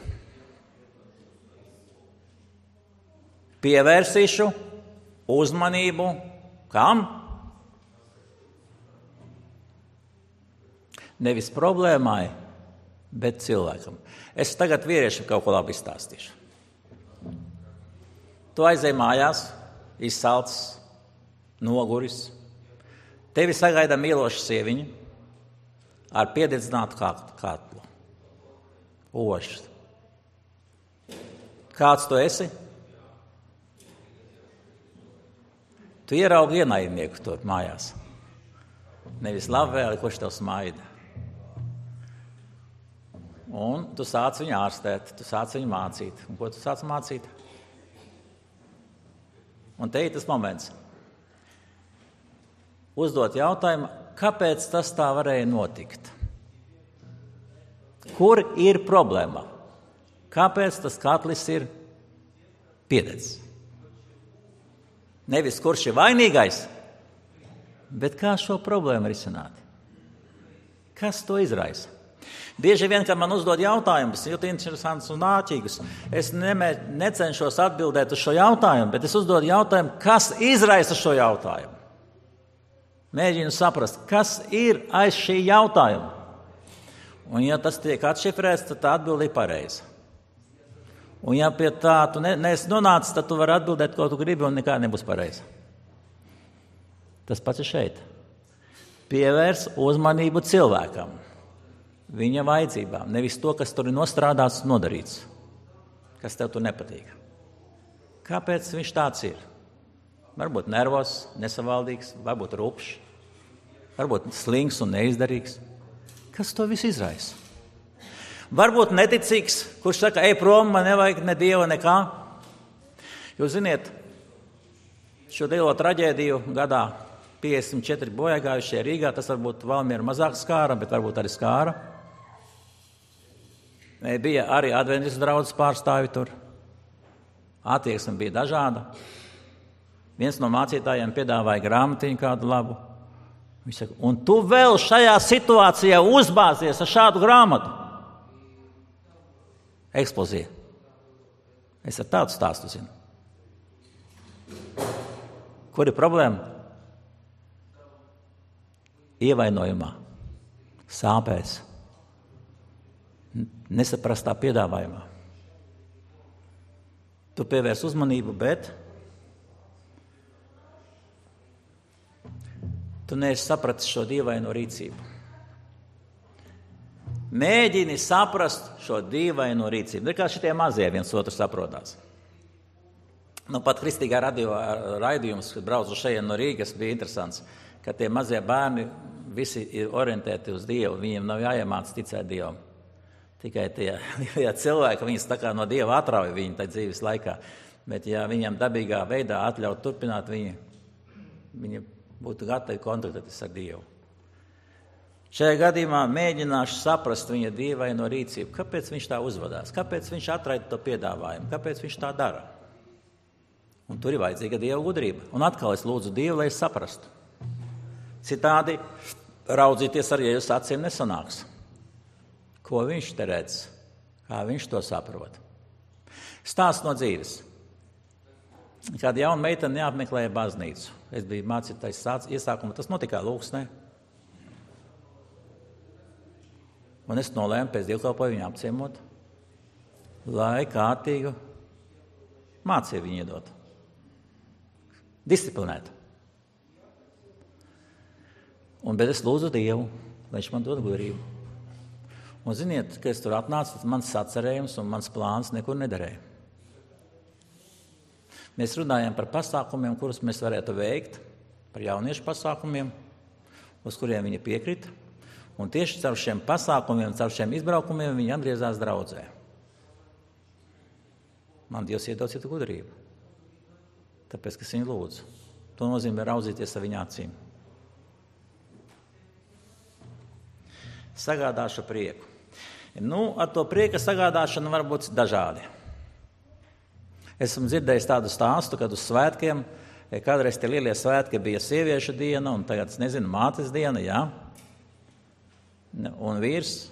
Pievērsīšu uzmanību kam? Nevis problēmai, bet cilvēkam. Es tagad vīriešiem kaut ko labi izstāstīšu. Tu aizej mājās, izsalcis, noguris. Tevi sagaida mīloša sieviņa ar piededzinātu kātlu. Ošs. Kāds tu esi? Tu ieraugi ienaidnieku tur mājās. Nevis labvēli, kurš tev smaida. Un tu sāc viņu ārstēt, tu sāc viņu mācīt. Un ko tu sāc mācīt? Un te ir tas moments. Uzdot jautājumu, kāpēc tas tā varēja notikt? Kur ir problēma? Kāpēc tas katlis ir piededzis? Nevis kurš ir vainīgais, bet kā šo problēmu risināt? Kas to izraisa? Bieži vien, kad man uzdod jautājumus, ļoti interesants un āķīgus, es nemē, necenšos atbildēt uz šo jautājumu, bet es uzdodu jautājumu, kas izraisa šo jautājumu. Mēģinu saprast, kas ir aiz šī jautājuma. Un ja tas tiek atšifrēts, tad tā atbilde ir pareiza. Un ja pie tā tu ne, neesi nonācis, tad tu vari atbildēt, ko tu gribi, un nekā nebūs pareiza. Tas pats ir šeit. Pievērs uzmanību cilvēkam, viņa vajadzībām, nevis to, kas tur ir nostrādāts un nodarīts, kas tev tur nepatīk. Kāpēc viņš tāds ir? Varbūt nervos, nesavaldīgs, varbūt rupšs, varbūt slings un neizdarīgs. Kas to visu izraisa? Varbūt neticīgs, kurš saka, ej prom, man nevajag ne dieva, nekā. Jūs ziniet, šo lielo traģēdiju gadā piecdesmit četri bojāgājušie Rīgā, tas varbūt Valmiera mazāk skāra, bet varbūt arī skāra. Bija arī adventistu draudzes pārstāvi tur. Attieksme bija dažāda. Viens no mācītājiem piedāvāja grāmatiņu kādu labu. Viņš saka, un tu vēl šajā situācijā uzbāzies ar šādu grāmatu. Eksplozija. Es ar tādu stāstu zinu. Kur ir problēma? Ievainojumā, sāpēs, nesaprastā piedāvājumā. Tu pievērs uzmanību, bet tu neesi sapratis šo dīvaino rīcību. Mēģini saprast šo dīvaino rīcību. Tā kā šitie mazie viens otru saprotās. Nu, pat kristīgā radio raidījums, kad braucu šeit no Rīgas, bija interesants, ka tie mazie bērni visi ir orientēti uz Dievu, viņiem nav jāiemāc ticēt Dievam. Tikai tie ja cilvēki, viņas tā kā no Dieva atrauj viņu tā dzīves laikā, bet ja viņiem dabīgā veidā atļaut turpināt, viņi, viņi būtu gatavi kontaktēties ar Dievu. Šajā gadījumā mēģināšu saprast viņa dievaino rīcību, kāpēc viņš tā uzvedās, kāpēc viņš atraida to piedāvājumu, kāpēc viņš tā dara. Un tur ir vajadzīga Dieva gudrība. Un atkal es lūdzu Dievu, lai es saprastu. Citādi raudzīties ar Jēzus acīm nesanāks. Ko viņš te redz? Kā viņš to saprot? Stāsts no dzīves. Kāda jauna meitene neapmeklēja baznīcu. Es biju mācītājs iesākumā, tas notika Lūksnē. Un es nolēmu pēc dievkalpojumu viņu apciemot, lai kārtīgu mācību viņu iedot. Disciplinēt. Un, bet es lūdzu Dievu, lai viņš man dod gudrību. Un ziniet, ka es tur atnācu, tad mans sacerējums un mans plāns nekur nederēja. Mēs runājam par pasākumiem, kurus mēs varētu veikt, par jauniešu pasākumiem, uz kuriem viņi piekrita. Un tieši caur šiem pasākumiem, caur šiem izbraukumiem viņi atgriezās draudzē. Man Dievs iedod citu gudrību. Tāpēc, ka es viņu lūdzu. To nozīmē raudzīties ar viņa acīm. Sagādāšu prieku. Nu, ar to prieka sagādāšanu var būt dažādi. Esmu dzirdējis tādu stāstu, kad uz svētkiem, kādreiz tie lielie svētki bija sieviešu diena, un tagad, es nezinu, mātes diena, jā. Un vīrs,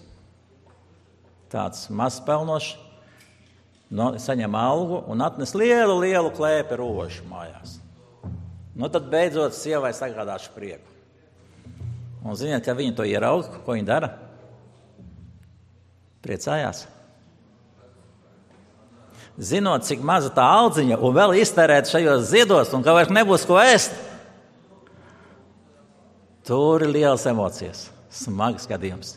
tāds mazpelnošs, no, saņem algu un atnes lielu, lielu klēpi rožu mājās. Nu, tad beidzot sievai sagādāšu prieku. Un ziniet, ka viņi to ieraudz, ko viņi dara? Priecājās. Zinot, cik maza tā aldziņa un vēl iztērēt šajos ziedos un ka vairs nebūs ko ēst. Tur ir lielas emocijas, smags gadījums.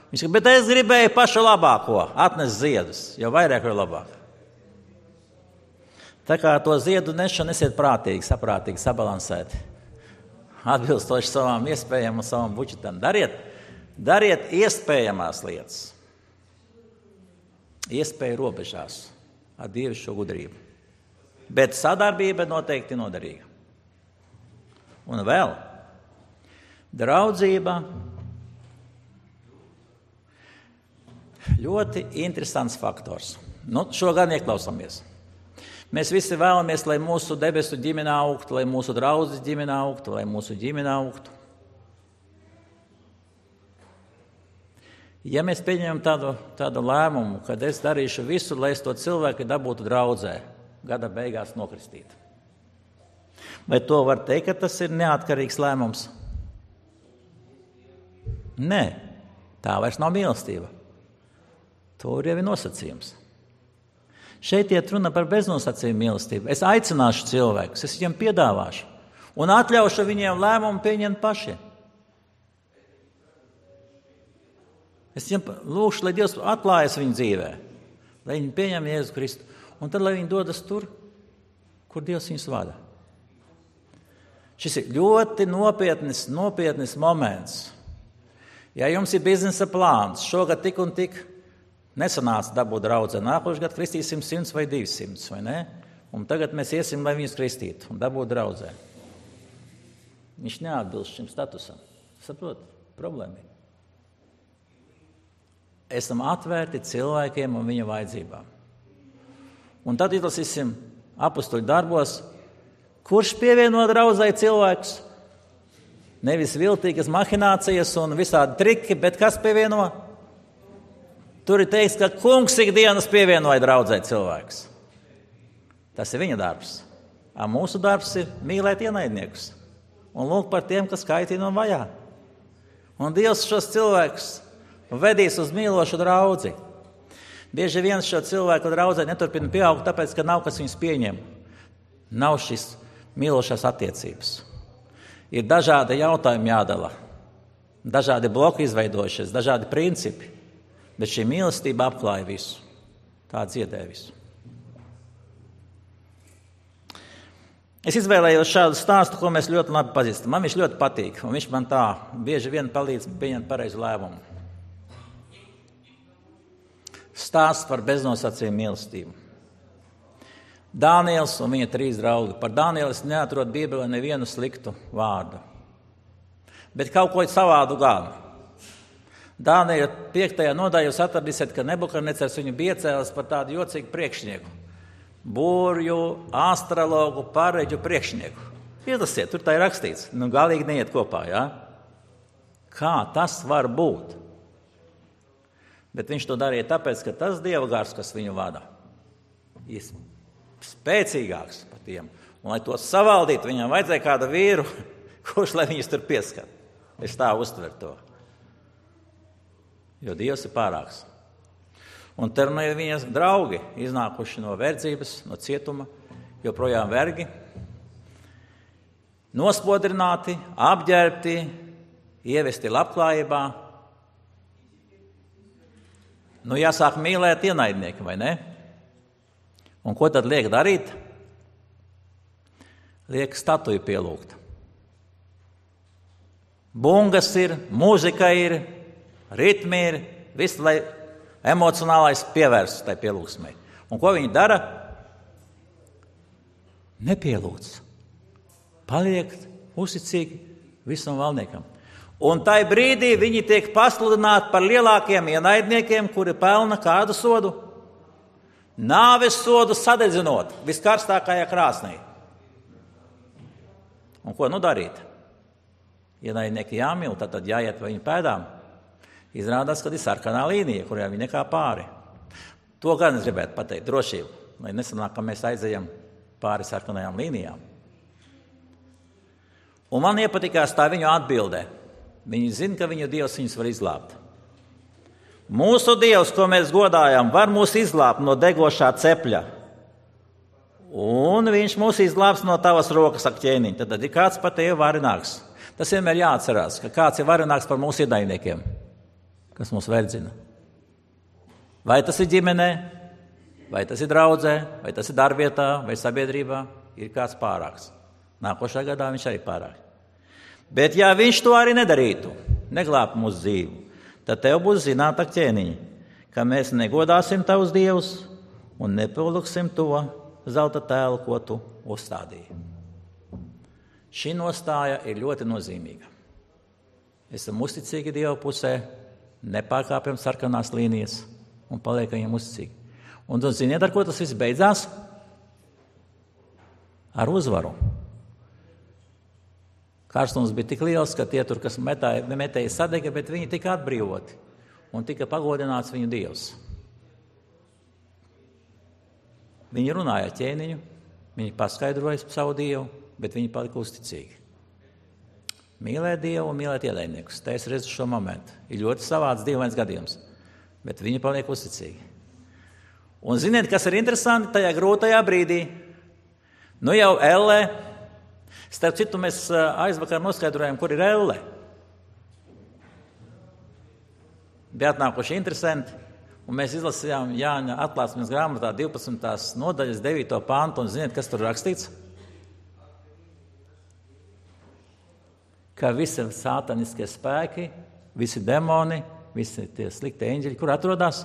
Viņš saka, bet es gribēju pašu labāko, atnes ziedus, jo vairāk ir labāk. Tā kā to ziedu nešanu esiet prātīgi, saprātīgi, sabalansēti. Atbilstoši savām iespējām un savam budžetam. Dariet, dariet iespējamās lietas. Iespēju robežās ar dievišķo gudrību. Bet sadarbība noteikti noderīga. Un vēl draudzība. Ļoti interesants faktors. Nu, šo gan ieklausāmies. Mēs visi vēlamies, lai mūsu debesu ģimene augtu, lai mūsu draudzes ģimene augtu, lai mūsu ģimene augtu. Ja mēs pieņemam tādu, tādu lēmumu, kad es darīšu visu, lai es to cilvēku dabūtu draudzē, gada beigās nokristīt. Vai to var teikt, ka tas ir neatkarīgs lēmums? Nē, tā vairs nav mīlestība. Tur jau ir nosacījums. Šeit iet runa par beznosacījumu mīlestību. Es aicināšu cilvēkus, es viņiem piedāvāšu un atļaušu viņiem lēmumu pieņemt pašiem. Es viņiem lūkšu, lai Dievs atklājas viņu dzīvē, lai viņi pieņem Jēzu Kristu, un tad, lai viņi dodas tur, kur Dievs viņus vada. Šis ir ļoti nopietnis, nopietnis moments. Ja jums ir biznesa plāns, šogad tik un tik nesanāca dabūt draudzē, nākošais gads kristīsim simts vai divsimts, vai ne? Un tagad mēs iesim, lai viņus kristītu un dabūt draudzē. Viņš neatbilst šim statusam. Saprot, problēma ir. Esam atvērti cilvēkiem un viņa vajadzībām. Un tad izlasīsim apustuļu darbos, kurš pievieno draudzē cilvēkus. Nevis viltīgas mahinācijas un visādi triki, bet kas pievieno? Tur ir teikts, ka kungs ikdienas pievienoja draudzē cilvēkus. Tas ir viņa darbs. A mūsu darbs ir mīlēt ienaidniekus un lūgt par tiem, kas kaitina un vajā. Un Dievs šos cilvēkus vedīs uz mīlošu draudzi. Bieži vien šo cilvēku draudzē neturpina pieaugt, tāpēc, ka nav kas viņus pieņem. Nav šis mīlošās attiecības. Ir dažādi jautājumi jādala, dažādi bloki izveidojušies, dažādi principi. Bet šī mīlestība apklāja visu. Tā dziedē visu. Es izvēlējos šādu stāstu, ko mēs ļoti labi pazīstam. Man viņš ļoti patīk, un viņš man tā bieži vien palīdz pieņemt pareizu lēmumu. Stāsts par beznosacījumu mīlestību. Dāniels un viņa trīs draugi. Par Dānielu es neatrodu Bībelē nevienu sliktu vārdu. Bet kaut ko savādu gan. Dāniela piektajā nodaļā jūs atradīsiet, ka Nebukadnecars viņu bija iecēlis par tādu jocīgu priekšnieku. Burju, astrologu, pareģu priekšnieku. Izlasiet, tur tā ir rakstīts. Nu, galīgi neiet kopā, jā? Kā tas var būt? Bet viņš to darīja tāpēc, ka tas dieva gars, kas viņu vada, ir spēcīgāks par tiem. Un, lai to savaldītu, viņam vajadzēja kādu vīru, kurš, lai viņus tur pieskat. Es tā uztveru to. Jo Dievs ir pārāks. Un te ir viņas draugi, iznākuši no verdzības, no cietuma, joprojām vergi, nospodrināti, apģērbti, ievesti labklājībā. Nu, jāsāk mīlēt ienaidnieki, vai ne? Un ko tad liek darīt? Liek statuju pielūgt. Bungas ir, mūzika ir, ritmi ir, viss, lai emocionālais pievērsts tai pielūgsmai. Un ko viņi dara? Nepielūdz. Paliek uzticīgi visam valdniekam. Un tai brīdī viņi tiek pasludināti par lielākiem ienaidniekiem, kuri pelna kādu sodu? Nāves sodu sadedzinot viskarstākajā krāsnī. Un ko nu darīt? Ienaidnieki jāmīl, tad, tad jāiet pa viņu pēdām. Izrādās, ka ir sarkanā līnija, kurā viņi nekā pāri. To gan es gribētu pateikt, drošību, lai nesanāk, ka mēs aizejam pāri sarkanajām līnijām. Un man iepatikās tā viņu atbildē. Viņi zina, ka viņu Dievs viņus var izglābt. Mūsu Dievs, ko mēs godājam, var mūs izglābt no degošā cepļa. Un viņš mūs izglābs no tavas rokas ak ķēniņa. Tad, tad ir kāds par tevi varenāks. Tas vienmēr jāatcerās, ka kāds ir varenāks par mūsu ienaidniekiem, kas mūs verdzina. Vai tas ir ģimenē, vai tas ir draudzē, vai tas ir darbvietā, vai sabiedrībā, ir kāds pārāks. Nākošā gadā viņš arī pārāk. Bet ja viņš to arī nedarītu, neglābtu mūsu dzīvi, tad tev būs zināt ak ķēniņi, ka mēs negodāsim tavus dievus un nepiluksim to zelta tēlu, ko tu uzstādīji. Šī nostāja ir ļoti nozīmīga. Esam uzticīgi Dieva pusē, nepārkāpjam sarkanās līnijas un paliekam viņam uzticīgi. Un tu ziniet, ar ko tas viss beidzās? Ar uzvaru. Karstums bija tik liels, ka tie tur, kas metāja, metēja sadega, bet viņi tika atbrīvoti un tika pagodināts viņu Dievs. Viņi runāja ar ķēniņu, viņi paskaidroja savu Dievu, bet viņi palika uzticīgi. Mīlēt Dievu un mīlēt ienaidniekus. Te es redzu šo momentu. Ir ļoti savāds dīvains gadījums, bet viņi paliek uzticīgi. Un ziniet, kas ir interesanti tajā grūtajā brīdī? Nu jau Elle, starp citu mēs aizvakar noskaidrojam, kur ir Elle. Bija atnākuši interesanti, un mēs izlasījām Jāņa atklāsmes grāmatā divpadsmitās nodaļas devīto pantu, un ziniet, kas tur rakstīts? Ka visi sātaniskie spēki, visi demoni, visi tie slikti eņģeļi, kur atrodas?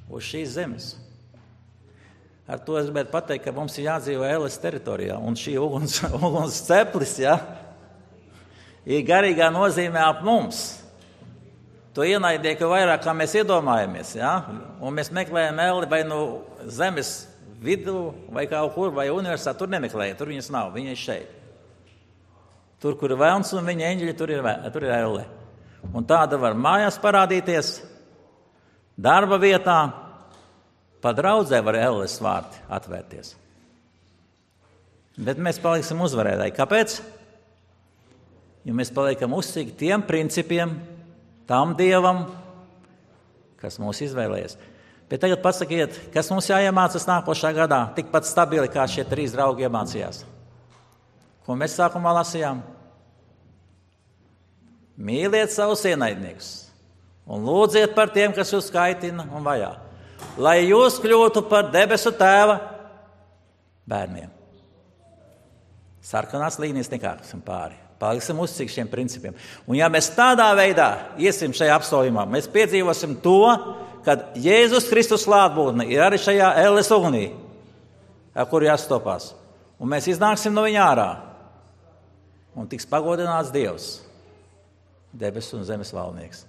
Uz šīs zemes. Ar to es gribētu pateikt, ka mums ir jādzīvo Elles teritorijā, un šī uguns, uguns ceplis, ja, ir garīgā nozīmē ap mums. To ienaidnieku vairāk, kā mēs iedomājamies, ja, un mēs meklējam Elli vai no zemes vidu, vai kaut kur, vai universitāti, tur nemeklējam, tur viņas nav, viņa ir šeit. Tur, kur ir velns un viņa eņģeļi, tur ir, tur ir Elle. Un tāda var mājās parādīties, darba vietā, pa draudzē var Elles vārti atvērties. Bet mēs paliksim uzvarētāji. Kāpēc? Jo mēs paliekam uzticīgi tiem principiem, tam Dievam, kas mūs izvēlējies. Bet tagad pasakiet, kas mums jāiemācas nākošā gadā, tikpat stabili, kā šie trīs draugi iemācījās. Ko mēs sākumā lasījām? Mīliet savus ienaidniekus un lūdziet par tiem, kas jūs kaitina un vajā. Lai jūs kļūtu par debesu tēva bērniem. Sarkanās līnijas nekāpsim pāri. Paliksim uzcīgi šiem principiem. Un ja mēs tādā veidā iesim šajā apsolījumā, mēs piedzīvosim to, kad Jēzus Kristus klātbūtne ir arī šajā elles ugunī, ar kuru jāstopās. Un mēs iznāksim no viņa ārā. Un tiks pagodināts Dievs, debesu un zemes valdnieks.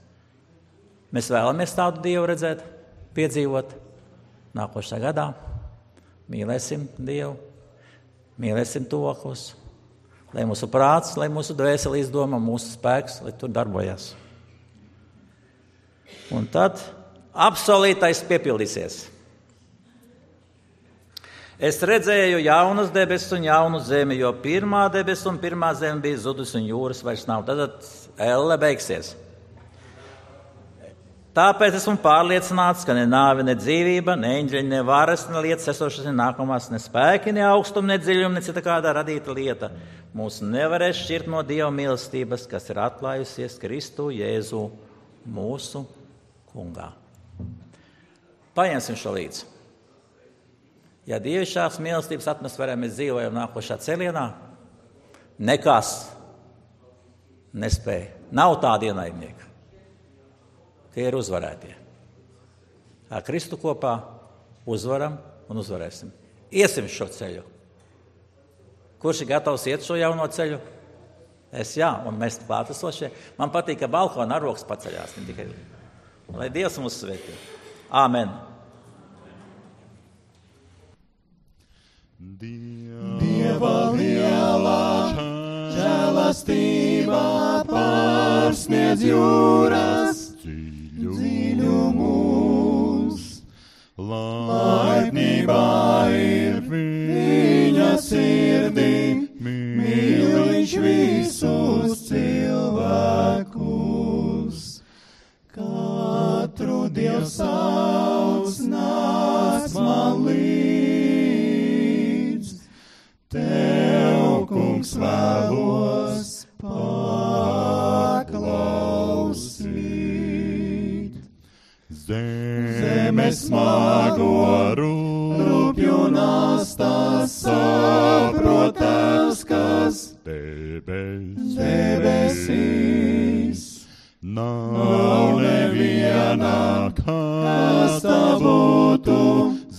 Mēs vēlamies tādu Dievu redzēt, piedzīvot nākošajā gadā. Mīlēsim Dievu, mīlēsim tuvākos, lai mūsu prāts, lai mūsu dvēsele izdomā, mūsu spēks, lai tur darbojas. Un tad absolītais piepildīsies. Es redzēju jaunas debesis un jaunu zemi, jo pirmā debesis un pirmā zeme bija zudus un jūras vairs nav. Tad elle beigsies. Tāpēc esmu pārliecināts, ka ne nāve, ne dzīvība, ne eņģeļi, ne varas, ne lietas esošas, ne nākamās, ne spēki, ne augstumi, ne dziļumi, ne cita kādā radīta lieta mūs nevarēs šķirt no Dieva mīlestības, kas ir atklājusies Kristu Jēzu mūsu kungā. Paņemsim šo līdzi. Ja dievišķās mīlestības atmosfērā mēs dzīvojam nākošā celienā, nekas nespēja. Nav tāda ienaidnieka. Tie ir uzvarētie. Ar Kristu kopā uzvaram un uzvarēsim. Iesim šo ceļu. Kurš ir gatavs iet šo jauno ceļu? Es jā, un mēs klātesošie. Man patīk, ka balkona aroks paceļās. Lai Dievs mūs svētī. Āmen. Dieva lielā žēlastība pārsniedz jūras dziļumus. Laipnībā ir viņa sirdī, mīl viņš visus cilvēkus. Katru Dievs sauc, nāc man līdz, tev, kungs, vēlos paklausīt. Zeme smago rūpju nastas saprotās, kas debes, debesīs. Nav neviena, kas tā būtu,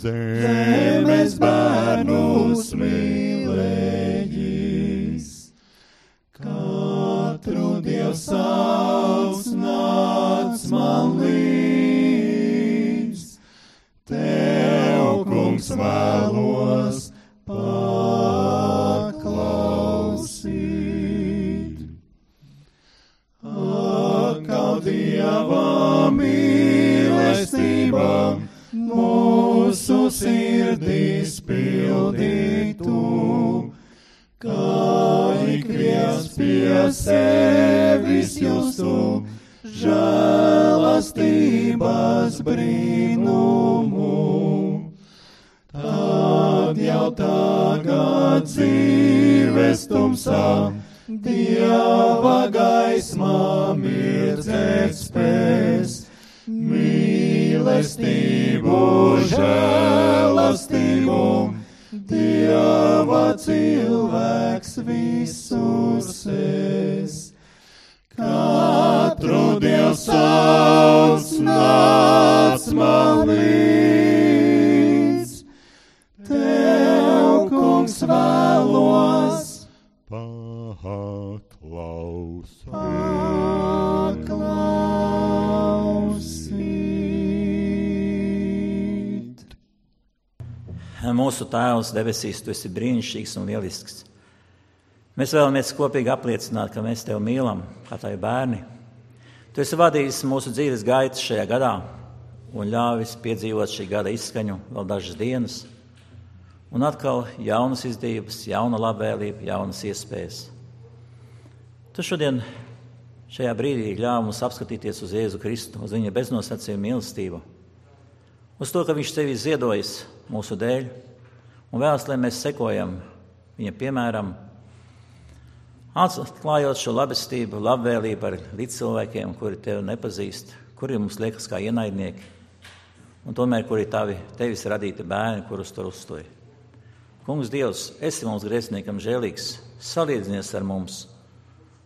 zemes bērnus mīlējis. Katru Dievs sauc, nāc man līdz, tev, kungs, vēlos paklausīt. Atkal Dieva mīlestība mūsu sirdīs pildītu, kā ik viens pie sevis justu žēlastības brīnumu. Tad jau tagad dzīves tumsā Dieva gaismā mirdzēt spēs, mīlestību, žēlastību, Dieva cilvēks visur sēs. Katru Dievs sauc, nāc man līdz, tev, kungs, vēlos paklausīt. Paklausīt. Mūsu Tēvs debesīs, tu esi brīnišķīgs un lielisks. Mēs vēlamies kopīgi apliecināt, ka mēs tevi mīlam, kā tavi bērni. Tu esi vadījis mūsu dzīves gaitas šajā gadā un ļāvis piedzīvot šī gada izskaņu vēl dažas dienas. Un atkal jaunas izdevības, jauna labvēlība, jaunas iespējas. Tu šodien šajā brīdī ļāvi mums apskatīties uz Jēzu Kristu, uz viņa beznosacījuma mīlestību, uz to, ka viņš sevi ziedojis mūsu dēļ un vēlas, lai mēs sekojam viņa piemēram, atklājot šo labestību, labvēlību ar līdzcilvēkiem, kuri tevi nepazīst, kuri mums liekas kā ienaidnieki, un tomēr kuri tavi, tevis radīti bērni, kurus tur uzstoji. Kungs Dievs, esi mums grēciniekam žēlīgs, salīdzinies ar mums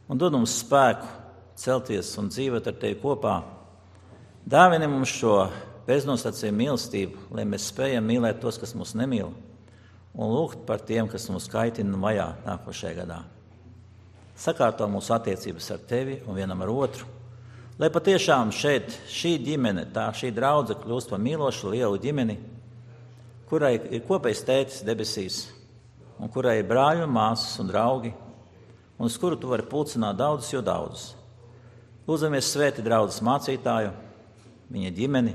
un dod mums spēku celties un dzīvot ar tevi kopā. Dāvini mums šo beznosacījumu mīlestību, lai mēs spējam mīlēt tos, kas mūs nemīl, un lūgt par tiem, kas mūs kaitina un vajā nākošajā gadā. Sakārto mūsu attiecības ar tevi un vienam ar otru, lai patiešām šeit šī ģimene, tā šī draudze kļūst par mīlošu lielu ģimeni, kurai ir kopējs tētis debesīs, un kurai ir brāļi un māsas un draugi, un uz kuru tu vari pulcināt daudzus, jo daudzus. Lūdzamies svēti draudzes mācītāju, viņa ģimeni,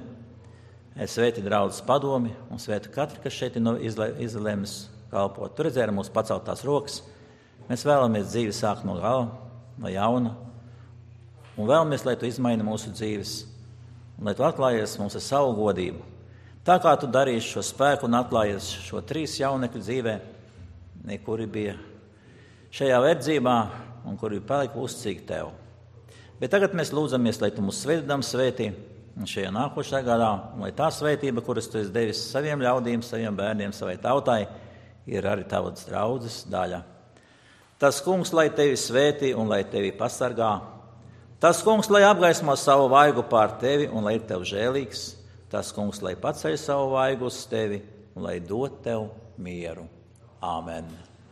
svēti draudzes padomi un svēti katru, kas šeit ir izlēmis kalpot. Tu redzēji ar mūsu paceltās rokas. Mēs vēlamies dzīvi sākt no gala, no jauna, un vēlamies, lai tu izmaini mūsu dzīves, un lai tu atklājies mums ar savu godību. Tā kā tu darīsi šo spēku un atklājies šo trīs jaunekļu dzīvē, kuri bija šajā verdzībā un kuri palika uzticīgi tev. Bet tagad mēs lūdzamies, lai tu mūs svētdam svētī šajā nākošajā gadā, un lai tā svētība, kuras tu esi devis saviem ļaudīm, saviem bērniem, savai tautai, ir arī tavas draudzes daļa. Tas kungs, lai tevi svētī un lai tevi pasargā. Tas kungs, lai apgaismo savu vaigu pār tevi un lai ir tev žēlīgs. Tas kungs, lai paceļ savu vaigu uz tevi un lai dod tev mieru. Āmen.